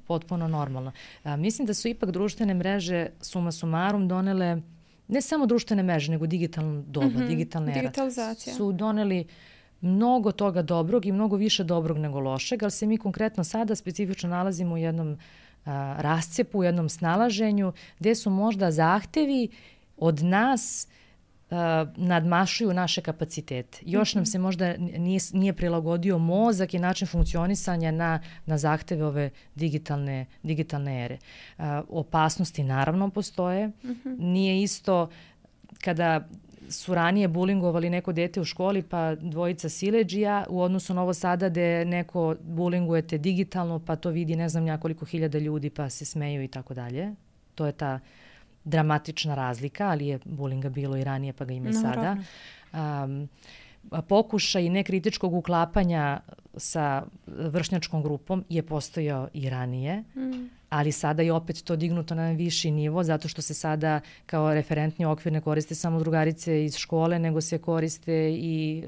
potpuno normalno. Mislim da su ipak društvene mreže suma sumarum donele, ne samo društvene mreže, nego digitalno doba, digitalna era. Su doneli mnogo toga dobrog i mnogo više dobrog nego lošeg, ali se mi konkretno sada specifično nalazimo u jednom rascepu, u jednom snalaženju, gdje su možda zahtevi od nas nadmašuju naše kapacitete. Još nam se možda nije prilagodio mozak i način funkcionisanja na zahteve ove digitalne ere. Opasnosti naravno postoje. Nije isto kada su ranije bulingovali neko dete u školi pa dvojica siledžija u odnosu na ovo sada gde neko bulingujete digitalno pa to vidi ne znam nekoliko hiljada ljudi pa se smeju i tako dalje. To je ta dramatična razlika, ali je bulinga bilo i ranije pa ga ima i sada. Pokušaj nekritičkog uklapanja sa vršnjačkom grupom je postojao i ranije, ali sada je opet to dignuto na viši nivo zato što se sada kao referentni okvir ne koriste samo drugarice iz škole, nego se koriste i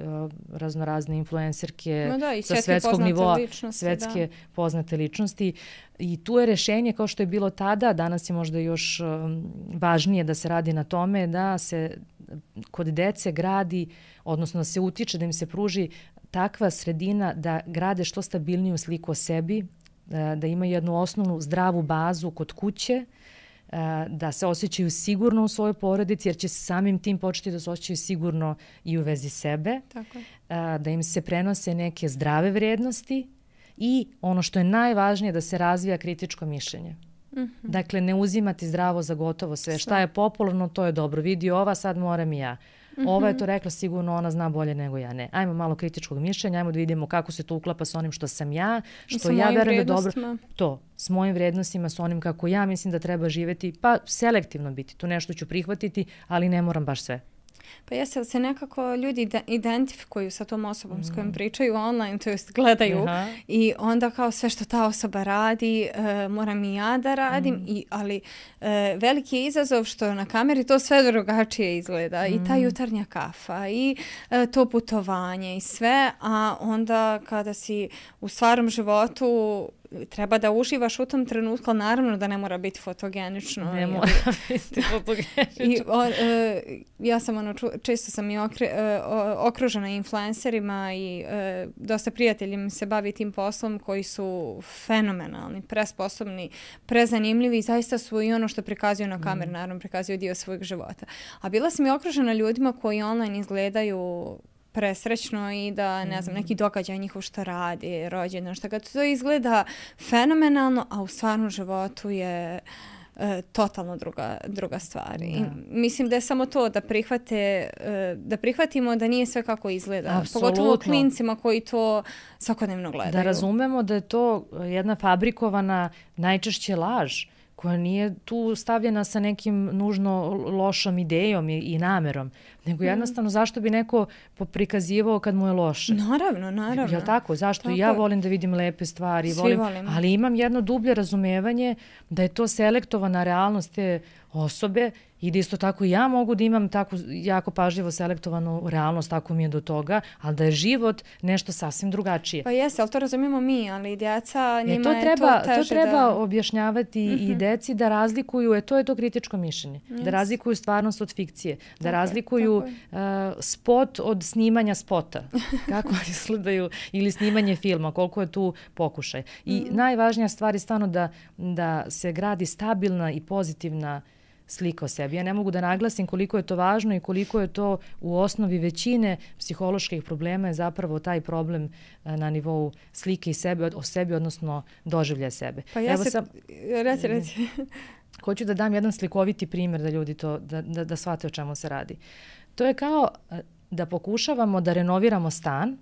raznorazne influencerke sa svetskog nivoa, svetske poznate ličnosti. I tu je rešenje kao što je bilo tada, danas je možda još važnije da se radi na tome da se kod dece gradi, odnosno da se utiče, da im se pruži takva sredina da grade što stabilniju sliku o sebi, da imaju jednu osnovnu zdravu bazu kod kuće, da se osjećaju sigurno u svojoj porodici, jer će samim tim početi da se osjećaju sigurno i u vezi sebe, da im se prenose neke zdrave vrijednosti i ono što je najvažnije da se razvija kritičko mišljenje. Dakle, ne uzimati zdravo za gotovo sve. Šta je popularno, to je dobro. Vidi ova, sad moram i ja. Ova je to rekla, sigurno ona zna bolje nego ja. Ne. Ajmo malo kritičkog mišljenja, ajmo da vidimo kako se to uklapa sa onim što sam ja, što ja verujem da dobro. To, s mojim vrednostima, s onim kako ja mislim da treba živjeti, pa selektivno biti. Tu nešto ću prihvatiti, ali ne moram baš sve. Pa jeste li se nekako ljudi identifikuju sa tom osobom s kojom pričaju online, to jest gledaju i onda kao sve što ta osoba radi moram i ja da radim, ali veliki je izazov što na kameri to sve drugačije izgleda i ta jutarnja kafa i to putovanje i sve, a onda kada si u stvarnom životu treba da uživaš u tom trenutku, ali naravno da ne mora biti fotogenično. Ne mora biti fotogenično. Ja sam često sam i okružena influencerima i dosta prijatelji mi se bavi tim poslom koji su fenomenalni, presposobni, prezanimljivi i zaista su i ono što prikazuju na kamer, naravno prikazuju dio svojeg života. A bila sam i okružena ljudima koji online izgledaju presrećno i da, ne znam, neki događaj njihov što radi, rođendan, što ga to izgleda fenomenalno, a u stvarnom životu je totalno druga stvar. I mislim da je samo to da prihvatimo da nije sve kako izgleda. Apsolutno. Pogotovo klincima koji to svakodnevno gledaju. Da razumemo da je to jedna fabrikovana najčešće laž koja nije tu stavljena sa nekim nužno lošom idejom i namerom, nego jednostavno zašto bi neko prikazivao kad mu je loše. Naravno. Jel' tako? Zašto? Ja volim da vidim lepe stvari. Svi volimo. Ali imam jedno dublje razumevanje da je to selektovana realnost te osobe i da isto tako ja mogu da imam tako jako pažljivo selektovanu realnost, tako mi je do toga, ali da je život nešto sasvim drugačije. Pa jeste, ali to razumijemo mi, ali djeca njima je to teže. To treba objašnjavati i deci da razlikuju, to je to kritičko mišljenje, da razlikuju stvarnost od fikcije, da razlikuju spot od snimanja spota, kako izgledaju, ili snimanje filma, koliko je tu pokušaj. I najvažnija stvar je stvarno da se gradi stabilna i pozitivna slika o sebi. Ja ne mogu da naglasim koliko je to važno i koliko je to u osnovi većine psiholoških problema je zapravo taj problem na nivou slike i sebe, o sebi, odnosno doživlja sebe. Pa reci. Hoću da dam jedan slikoviti primjer da ljudi to, da shvate o čemu se radi. To je kao da pokušavamo da renoviramo stan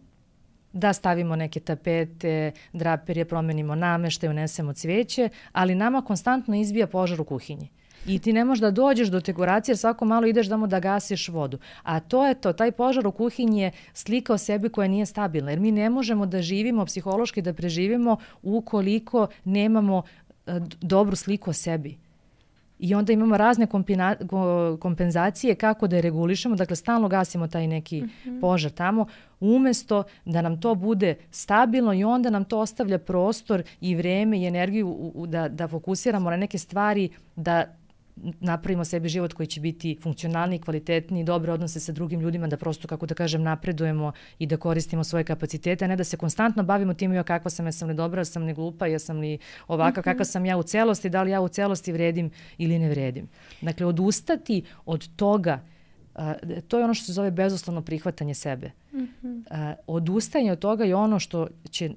da stavimo neke tapete, draperije, promenimo nameštaj, unesemo cvijeće, ali nama konstantno izbija požar u kuhinji. I ti ne možeš da dođeš do dekoracije jer svako malo ideš da gasiš vodu. A to je to, taj požar u kuhinji je slika o sebi koja nije stabilna. Jer mi ne možemo da živimo psihološki, da preživimo ukoliko nemamo dobru sliku o sebi. I onda imamo razne kompenzacije kako da je regulišemo, dakle stalno gasimo taj neki požar tamo, umjesto da nam to bude stabilno i onda nam to ostavlja prostor i vreme i energiju da fokusiramo na neke stvari, da napravimo sebi život koji će biti funkcionalniji, kvalitetniji, dobre odnose sa drugim ljudima, da prosto, kako da kažem, napredujemo i da koristimo svoje kapacitete, a ne da se konstantno bavimo tim kakva sam, jesam li dobra, jesam li glupa, jesam li ovaka, kakva sam ja u celosti, da li ja u celosti vredim ili ne vredim. Dakle, odustati od toga, to je ono što se zove bezuslovno prihvatanje sebe. Odustajanje od toga je ono što će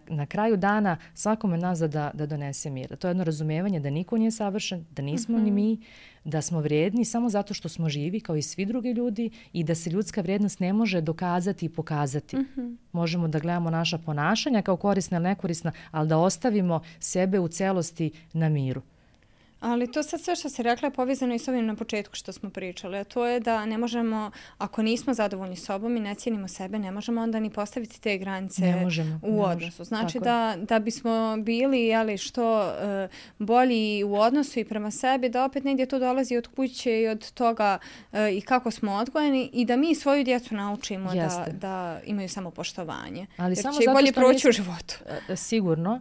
na kraju dana svakome nas da donese mir. To je jedno razumevanje da niko nije savršen, da nismo ni mi, da smo vrijedni samo zato što smo živi kao i svi drugi ljudi i da se ljudska vrijednost ne može dokazati i pokazati. Možemo da gledamo naša ponašanja kao korisna ili nekorisna, ali da ostavimo sebe u celosti na miru. Ali to sad sve što se rekla je povezano i s ovim na početku što smo pričali, a to je da ne možemo, ako nismo zadovoljni sobom i ne cijenimo sebe, ne možemo onda ni postaviti te granice u odnosu. Znači da bismo bili što bolji u odnosu i prema sebi, da opet negdje to dolazi od kuće i od toga i kako smo odgojeni i da mi svoju djecu naučimo da imaju samopoštovanje. Ali jer samo će i bolje proći u životu. Sigurno.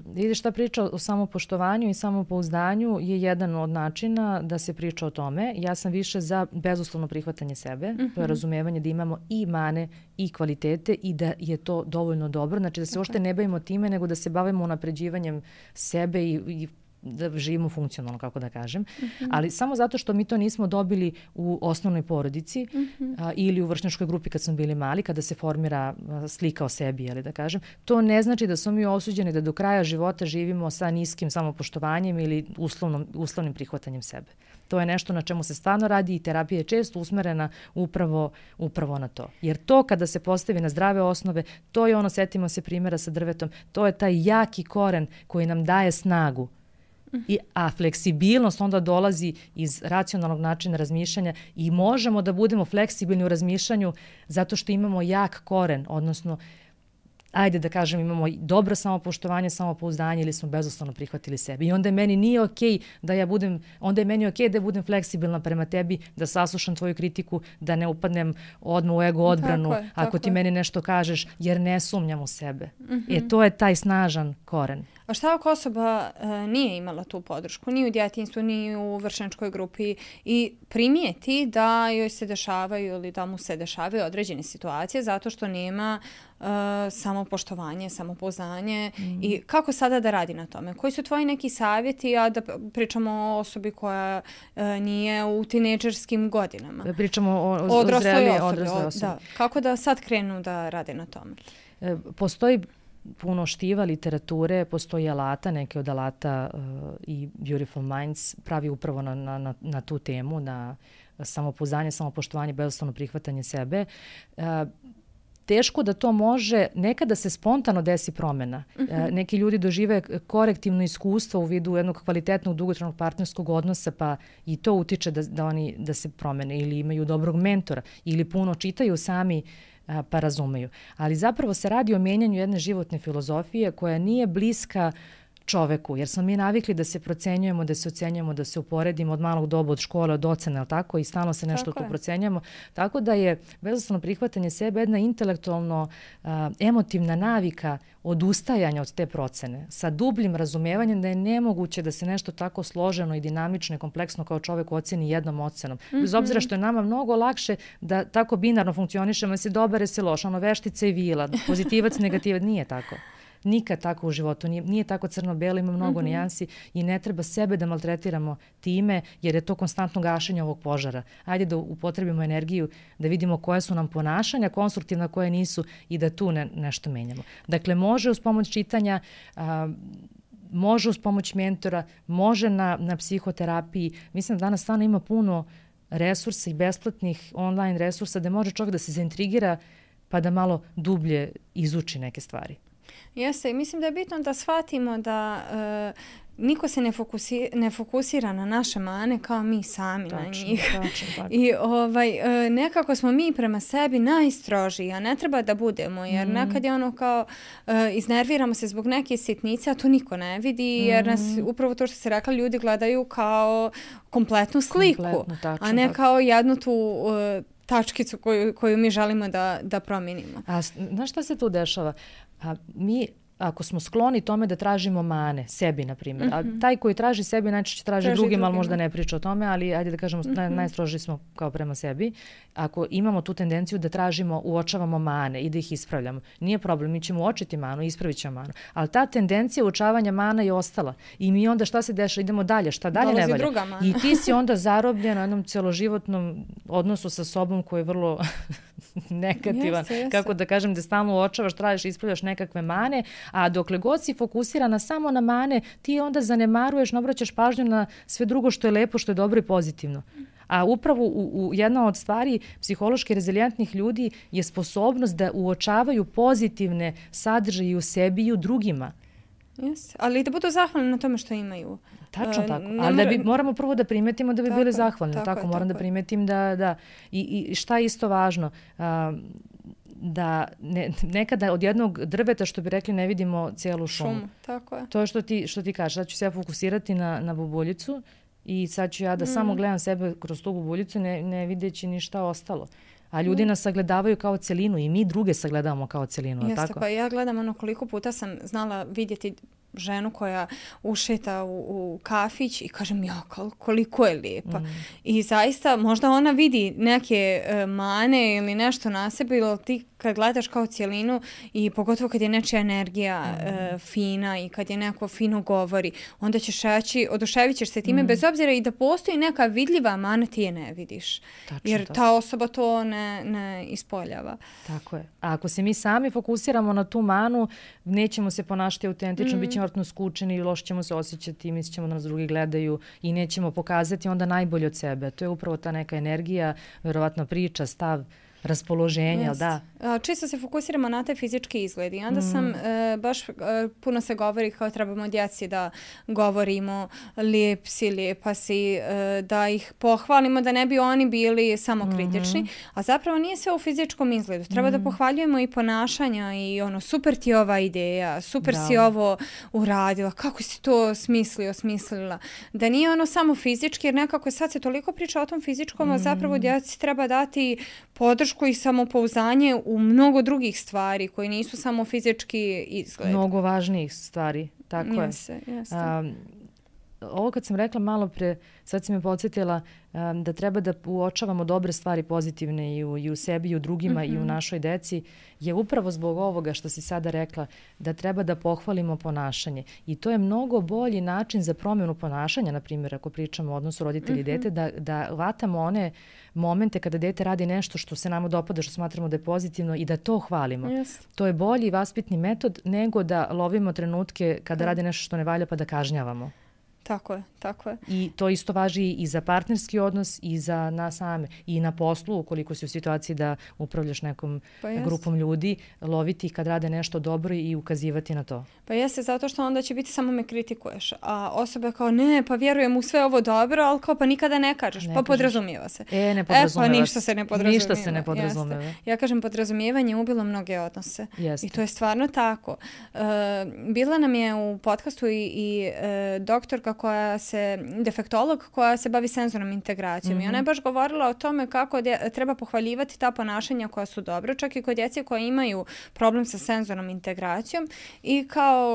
Vidiš, ta priča o samopoštovanju i samopouzdanju je jedan od načina da se priča o tome. Ja sam više za bezuslovno prihvatanje sebe, to je razumevanje da imamo i mane i kvalitete i da je to dovoljno dobro. Znači da se uopšte ne bavimo time, nego da se bavimo unapređivanjem sebe i da živimo funkcionalno, kako da kažem. Ali samo zato što mi to nismo dobili u osnovnoj porodici ili u vršnjačkoj grupi kad smo bili mali, kada se formira slika o sebi, ali da kažem, to ne znači da smo mi osuđeni da do kraja života živimo sa niskim samopoštovanjem ili uslovnim prihvatanjem sebe. To je nešto na čemu se stvarno radi i terapija je često usmerena upravo na to. Jer to kada se postavi na zdrave osnove, to je ono, setimo se primjera sa drvetom, to je taj jaki koren koji nam daje snagu. A fleksibilnost onda dolazi iz racionalnog načina razmišljanja i možemo da budemo fleksibilni u razmišljanju zato što imamo jak koren, odnosno ajde da kažem imamo dobro samopoštovanje, samopouzdanje ili smo bezuslovno prihvatili sebe. I onda je meni nije okej da ja budem, onda je meni okej da budem fleksibilna prema tebi, da saslušam tvoju kritiku, da ne upadnem odmah u ego odbranu ako ti meni nešto kažeš, jer ne sumnjam u sebe. To je taj snažan koren. A šta ako osoba nije imala tu podršku, ni u djetinjstvu, ni u vršnjačkoj grupi i primijeti da joj se dešavaju ili da mu se dešavaju određene situacije zato što nema samopoštovanje, samopouzdanje i kako sada da radi na tome? Koji su tvoji neki savjeti, a da pričamo o osobi koja nije u tinejdžerskim godinama? Pričamo o odrasloj osobi. Da. Kako da sad krenu da rade na tome? Postoji puno štiva, literature, postoji alata, neke od alata i Beautiful Minds pravi upravo na tu temu, na samopouzdanje, samopoštovanje, bezuslovno prihvatanje sebe. Teško da to može, nekada se spontano desi promjena. Neki ljudi dožive korektivno iskustvo u vidu jednog kvalitetnog dugotrajnog partnerskog odnosa, pa i to utiče da se promene ili imaju dobrog mentora ili puno čitaju sami pa razumeju. Ali zapravo se radi o mijenjanju jedne životne filozofije koja nije bliska čoveku, jer smo mi navikli da se procenjujemo, da se ocenjujemo, da se uporedimo od malog doba, od škole, od ocena, tako, i stalno se nešto tu procenjujemo. Tako da je bezuslovno prihvatanje sebe jedna intelektualno emotivna navika odustajanja od te procene, sa dubljim razumevanjem da je nemoguće da se nešto tako složeno i dinamično i kompleksno kao čovjek oceni jednom ocenom. Bez obzira što je nama mnogo lakše da tako binarno funkcionišemo, jesi dobar, jesi loš, ono veštica i vila, pozitivac, negativac, nije tako. Nikad tako u životu, nije tako crno-belo, ima mnogo nijansi i ne treba sebe da maltretiramo time jer je to konstantno gašenje ovog požara. Ajde da upotrebimo energiju, da vidimo koje su nam ponašanja, konstruktivna koje nisu i da tu nešto menjamo. Dakle, može uz pomoć čitanja, može uz pomoć mentora, može na psihoterapiji. Mislim da danas stvarno ima puno resursa i besplatnih online resursa da može čovjek da se zaintrigira pa da malo dublje izuči neke stvari. Jeste, i mislim da je bitno da shvatimo da niko se ne fokusira na naše mane kao mi sami na njih. Tačno. I nekako smo mi prema sebi najstrožiji, a ne treba da budemo, jer nekad je ono kao iznerviramo se zbog neke sitnice, a to niko ne vidi, jer nas upravo to što se rekla, ljudi gledaju kao kompletnu sliku, a ne kao jednu tu tačkicu koju mi želimo da promijenimo. A znaš šta se tu dešava? Mi, ako smo skloni tome da tražimo mane, sebi, na primjer, a taj koji traži sebi najčešće traži drugim, ali možda ne priča o tome, ali ajde da kažemo, najstrožiji smo kao prema sebi. Ako imamo tu tendenciju da tražimo, uočavamo mane i da ih ispravljamo, nije problem, mi ćemo uočiti manu, ispravit ćemo manu, ali ta tendencija uočavanja mana je ostala i mi onda šta se dešava, idemo dalje, šta dalje ne valja. I ti si onda zarobljen na jednom celoživotnom odnosu sa sobom koji je vrlo negativan, kako da kažem, da stalno uočavaš, tražiš, ispravljaš nekakve mane, a dokle god si fokusirana samo na mane, ti onda zanemaruješ, ne obraćaš pažnju na sve drugo što je lepo, što je dobro i pozitivno. A upravo jedna od stvari psihološki rezilijentnih ljudi je sposobnost da uočavaju pozitivne sadržaje u sebi i u drugima. Yes. Ali da budu zahvalni na tome što imaju. Tačno tako. Ali moramo prvo da primetimo da bi bili zahvalni. Tako moram da primetim da. I šta je isto važno? Da nekada od jednog drveta, što bi rekli, ne vidimo cijelu šumu. Tako je. To je što ti kažeš. Sad ću se ja fokusirati na bubuljicu i sad ću ja da samo gledam sebe kroz tu bubuljicu, ne videći ništa ostalo. A ljudi nas sagledavaju kao celinu i mi druge sagledavamo kao celinu. Jeste, tako? Pa ja gledam koliko puta sam znala vidjeti ženu koja ušeta u kafić i kažem, koliko je lijepa. I zaista možda ona vidi neke mane ili nešto na sebi, ili ti kad gledaš kao cijelinu i pogotovo kad je nečija energija fina i kad je neko fino govori, onda ćeš reći, oduševit ćeš se time, bez obzira i da postoji neka vidljiva mana, ti je ne vidiš. Jer ta osoba to ne ispoljava. Tako je. A ako se mi sami fokusiramo na tu manu, nećemo se ponašati autentično, bit ćemo vrtno skučeni i loše ćemo se osjećati, mislit ćemo da nas drugi gledaju i nećemo pokazati onda najbolje od sebe. To je upravo ta neka energija, vjerovatno priča, stav, raspoloženja, da. Čisto se fokusiramo na te fizički izgledi. I onda sam, baš puno se govori kao trebamo djeci da govorimo lijep si, lijepa si, da ih pohvalimo, da ne bi oni bili samo kritični. A zapravo nije sve u fizičkom izgledu. Treba da pohvaljujemo i ponašanja i super ti je ova ideja, super si ovo uradila, kako si to smislila. Da nije ono samo fizički, jer nekako sad se toliko priča o tom fizičkom, a zapravo djeci treba dati podršku i samopouzdanje u mnogo drugih stvari koji nisu samo fizički izgled. Mnogo važnijih stvari, tako je. Jeste. Ovo kad sam rekla malo pre, sad si me podsjetila da treba da uočavamo dobre stvari pozitivne i u sebi i u drugima i u našoj deci, je upravo zbog ovoga što si sada rekla, da treba da pohvalimo ponašanje. I to je mnogo bolji način za promjenu ponašanja, na primjer, ako pričamo o odnosu roditelji i dete, da vatamo one momente kada dete radi nešto što se nama dopada, što smatramo da je pozitivno i da to hvalimo. To je bolji vaspitni metod nego da lovimo trenutke kada radi nešto što ne valja pa da kažnjavamo. Tako je. I to isto važi i za partnerski odnos i za nas same. I na poslu, ukoliko si u situaciji da upravljaš nekom grupom ljudi, loviti ih kad rade nešto dobro i ukazivati na to. Pa jeste, zato što onda će biti samo me kritikuješ. A osoba kao, ne, pa vjerujem u sve ovo dobro, ali kao pa nikada ne kažeš. Pa podrazumijeva se. Ne podrazumijeva pa ništa se ne podrazumijeva. Ništa se ne podrazumijeva. Ja kažem, podrazumijevanje ubilo mnoge odnose. I to je stvarno tako. Bila nam je u podcastu i doktorka defektolog koja se bavi senzornom integracijom. I ona je baš govorila o tome kako treba pohvaljivati ta ponašanja koja su dobra, čak i kod djece koje imaju problem sa senzornom integracijom i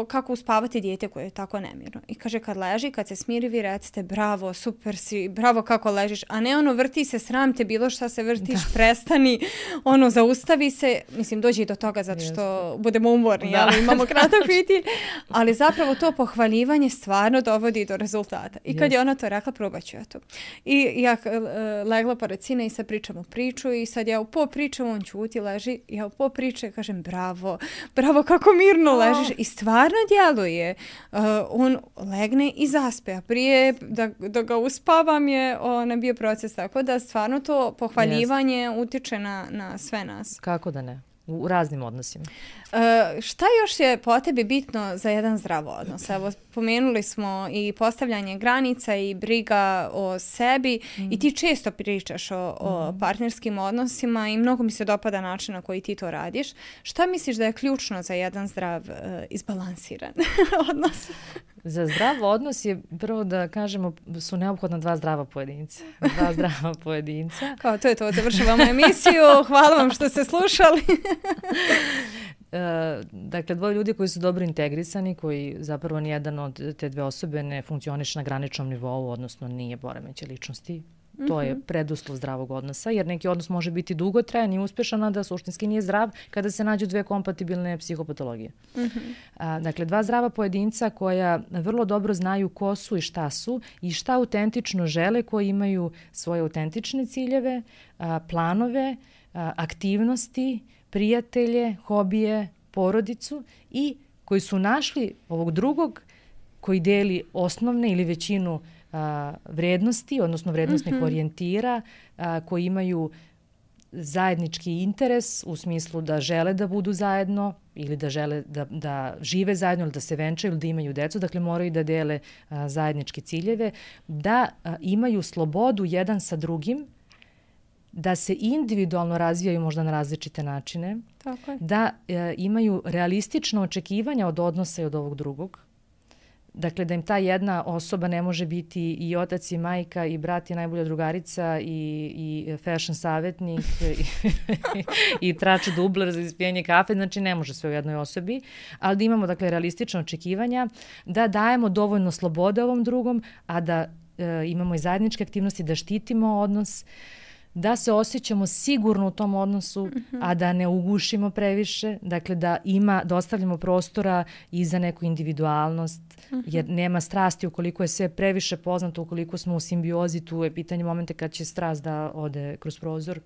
kako uspavati dijete koje je tako nemirno. I kaže, kad leži, kad se smiri, vi recite bravo, super si, bravo kako ležiš, a ne ono vrti se, sram te, bilo šta se vrtiš, prestani, ono zaustavi se, mislim dođi i do toga zato što budemo umorni, ali imamo kratak fitilj, ali zapravo to pohvaljivanje stvarno dovodi do rezultata. I kad je ona to rekla, probat ću ja to. I ja legla pored sina i sad pričamo priču i sad ja u po pričam, on ćuti, leži, ja u po priče kažem bravo kako mirno ležiš i stvarno djeluje. On legne i zaspe, a prije da ga uspavam je bio proces, tako da stvarno to pohvaljivanje utiče na sve nas. Kako da ne? u raznim odnosima. Šta još je po tebi bitno za jedan zdrav odnos? Evo, pomenuli smo i postavljanje granica i briga o sebi i ti često pričaš o partnerskim odnosima i mnogo mi se dopada način na koji ti to radiš. Šta misliš da je ključno za jedan zdrav, izbalansiran odnos? Za zdrav odnos je, prvo da kažemo, su neophodna dva zdrava pojedinca. Dva zdrava pojedinca. Kao to je to, završavamo emisiju. Hvala vam što ste slušali. Dakle, dvoje ljudi koji su dobro integrisani, koji zapravo nijedan od te dve osobe ne funkcioniše na graničnom nivou, odnosno nije poremećaj ličnosti. To je preduslov zdravog odnosa, jer neki odnos može biti dugotrajan i uspešan, a da suštinski nije zdrav kada se nađu dve kompatibilne psihopatologije. Dakle, dva zdrava pojedinca koja vrlo dobro znaju ko su i šta autentično žele, koji imaju svoje autentične ciljeve, planove, aktivnosti, prijatelje, hobije, porodicu i koji su našli ovog drugog koji deli osnovne ili većinu vrednosti, odnosno vrednostnih orijentira, koji imaju zajednički interes u smislu da žele da budu zajedno ili da žele da žive zajedno ili da se venčaju ili da imaju decu, dakle moraju da dele zajedničke ciljeve, da imaju slobodu jedan sa drugim, da se individualno razvijaju možda na različite načine, da imaju realistično očekivanja od odnosa i od ovog drugog. Dakle, da im ta jedna osoba ne može biti i otac i majka i brat i najbolja drugarica i fashion savjetnik i trač dubler za ispijenje kafe, znači ne može sve u jednoj osobi, ali da imamo dakle realistična očekivanja, da dajemo dovoljno slobode ovom drugom, a da imamo i zajedničke aktivnosti, da štitimo odnos, da se osjećamo sigurno u tom odnosu, a da ne ugušimo previše, dakle da ostavljamo prostora i za neku individualnost, jer nema strasti ukoliko je sve previše poznato, ukoliko smo u simbiozi, tu je pitanje momente kad će strast da ode kroz prozor.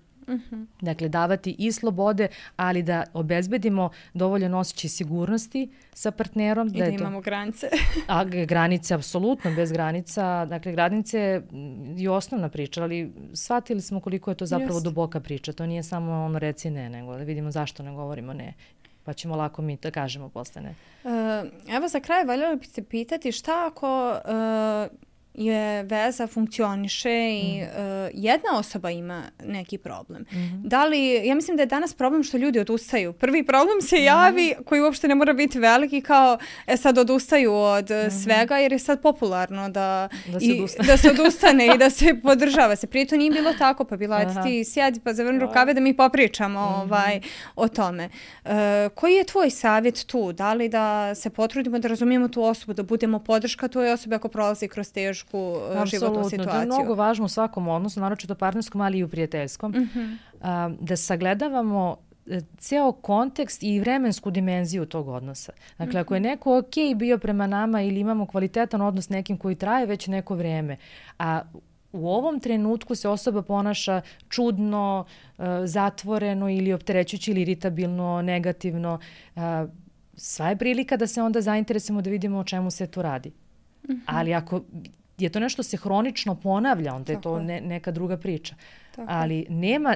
Dakle, davati i slobode, ali da obezbedimo dovoljan osjećaj sigurnosti sa partnerom. I da imamo granice. A granice, apsolutno, bez granica. Dakle, granice je osnovna priča, ali shvatili smo koliko je to zapravo duboka priča. To nije samo ono reci ne, nego da vidimo zašto ne govorimo ne. Pa ćemo lako mi da kažemo posle ne. Evo za kraj valjalo bi se pitati šta ako je veza funkcioniše i jedna osoba ima neki problem. Da li, ja mislim da je danas problem što ljudi odustaju. Prvi problem se javi koji uopšte ne mora biti veliki, kao sad odustaju od svega jer je sad popularno da se odustane i da se podržava se. Prije to nije bilo tako, pa bila ti sjedi pa zavrni rukave da mi popričamo o tome. Koji je tvoj savjet tu? Da li da se potrudimo da razumijemo tu osobu, da budemo podrška toj osobi ako prolazi kroz tešku životnu situaciju? To je mnogo važno u svakom odnosu, naročito partnerskom, ali i u prijateljskom. Da sagledavamo ceo kontekst i vremensku dimenziju tog odnosa. Dakle, ako je neko bio prema nama ili imamo kvalitetan odnos s nekim koji traje već neko vrijeme, a u ovom trenutku se osoba ponaša čudno, zatvoreno ili opterećujuće ili iritabilno, negativno, sva je prilika da se onda zainteresujemo da vidimo o čemu se tu radi. Ali ako je to nešto se hronično ponavlja, onda je to neka druga priča. Ali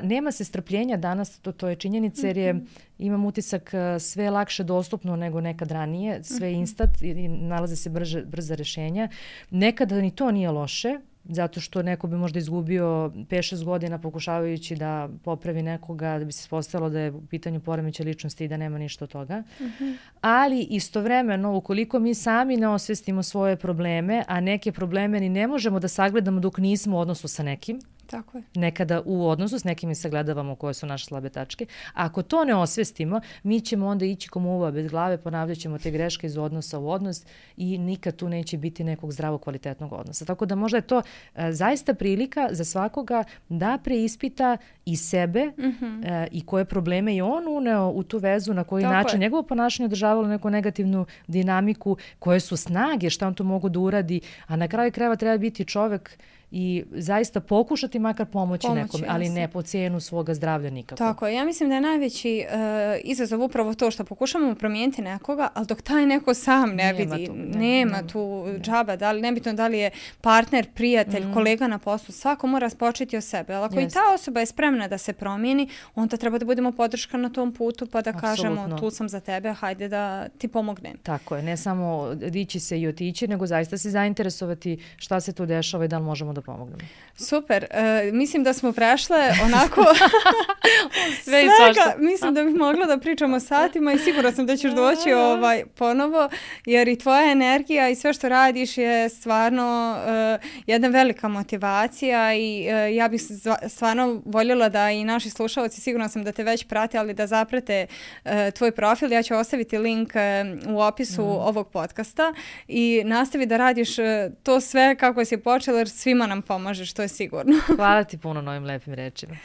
nema se strpljenja danas, to je činjenica, jer imam utisak sve lakše dostupno nego nekad ranije, sve instant i nalaze se brza rješenja. Nekada ni to nije loše, zato što neko bi možda izgubio 5-6 godina pokušavajući da popravi nekoga, da bi se spostavilo da je u pitanju poremećaj ličnosti i da nema ništa od toga. Ali istovremeno, ukoliko mi sami ne osvestimo svoje probleme, a neke probleme ni ne možemo da sagledamo dok nismo u odnosu sa nekim, tako je. Nekada u odnosu s nekim i sagledavamo koje su naše slabe tačke. Ako to ne osvestimo, mi ćemo onda ići ko muva bez glave, ponavljat ćemo te greške iz odnosa u odnos i nikad tu neće biti nekog zdravog kvalitetnog odnosa. Tako da možda je to zaista prilika za svakoga da preispita i sebe i koje probleme je on uneo u tu vezu, na koji način njegovo ponašanje održavalo neku negativnu dinamiku, koje su snage, šta on to mogu da uradi, a na kraju krajeva treba biti čovek i zaista pokušati makar pomoći nekome, ali ne po cijenu svoga zdravlja nikako. Tako, ja mislim da je najveći izazov upravo to što pokušamo promijeniti nekoga, ali dok taj neko sam ne vidi, nema tu džaba, nebitno da li je partner, prijatelj, kolega na poslu, svako mora početi od sebe. Ali ako i ta osoba je spremna da se promijeni, onda treba da budemo podrška na tom putu pa da kažemo tu sam za tebe, hajde da ti pomognem. Tako je, ne samo dići se i otići, nego zaista se zainteresovati šta se tu dešava i da li možemo da pomognemo. Super, mislim da smo prešle onako sve i svega, mislim da bih mogla da pričamo satima i sigurno sam da ćeš doći ponovo, jer i tvoja energija i sve što radiš je stvarno jedna velika motivacija i ja bih stvarno voljela da i naši slušalci, sigurno sam da te već prate, ali da zaprate tvoj profil. Ja ću ostaviti link u opisu ovog podcasta i nastavi da radiš to sve kako si počela, jer svima nam pomažeš, to je sigurno. Hvala ti puno na ovim lepim rečima.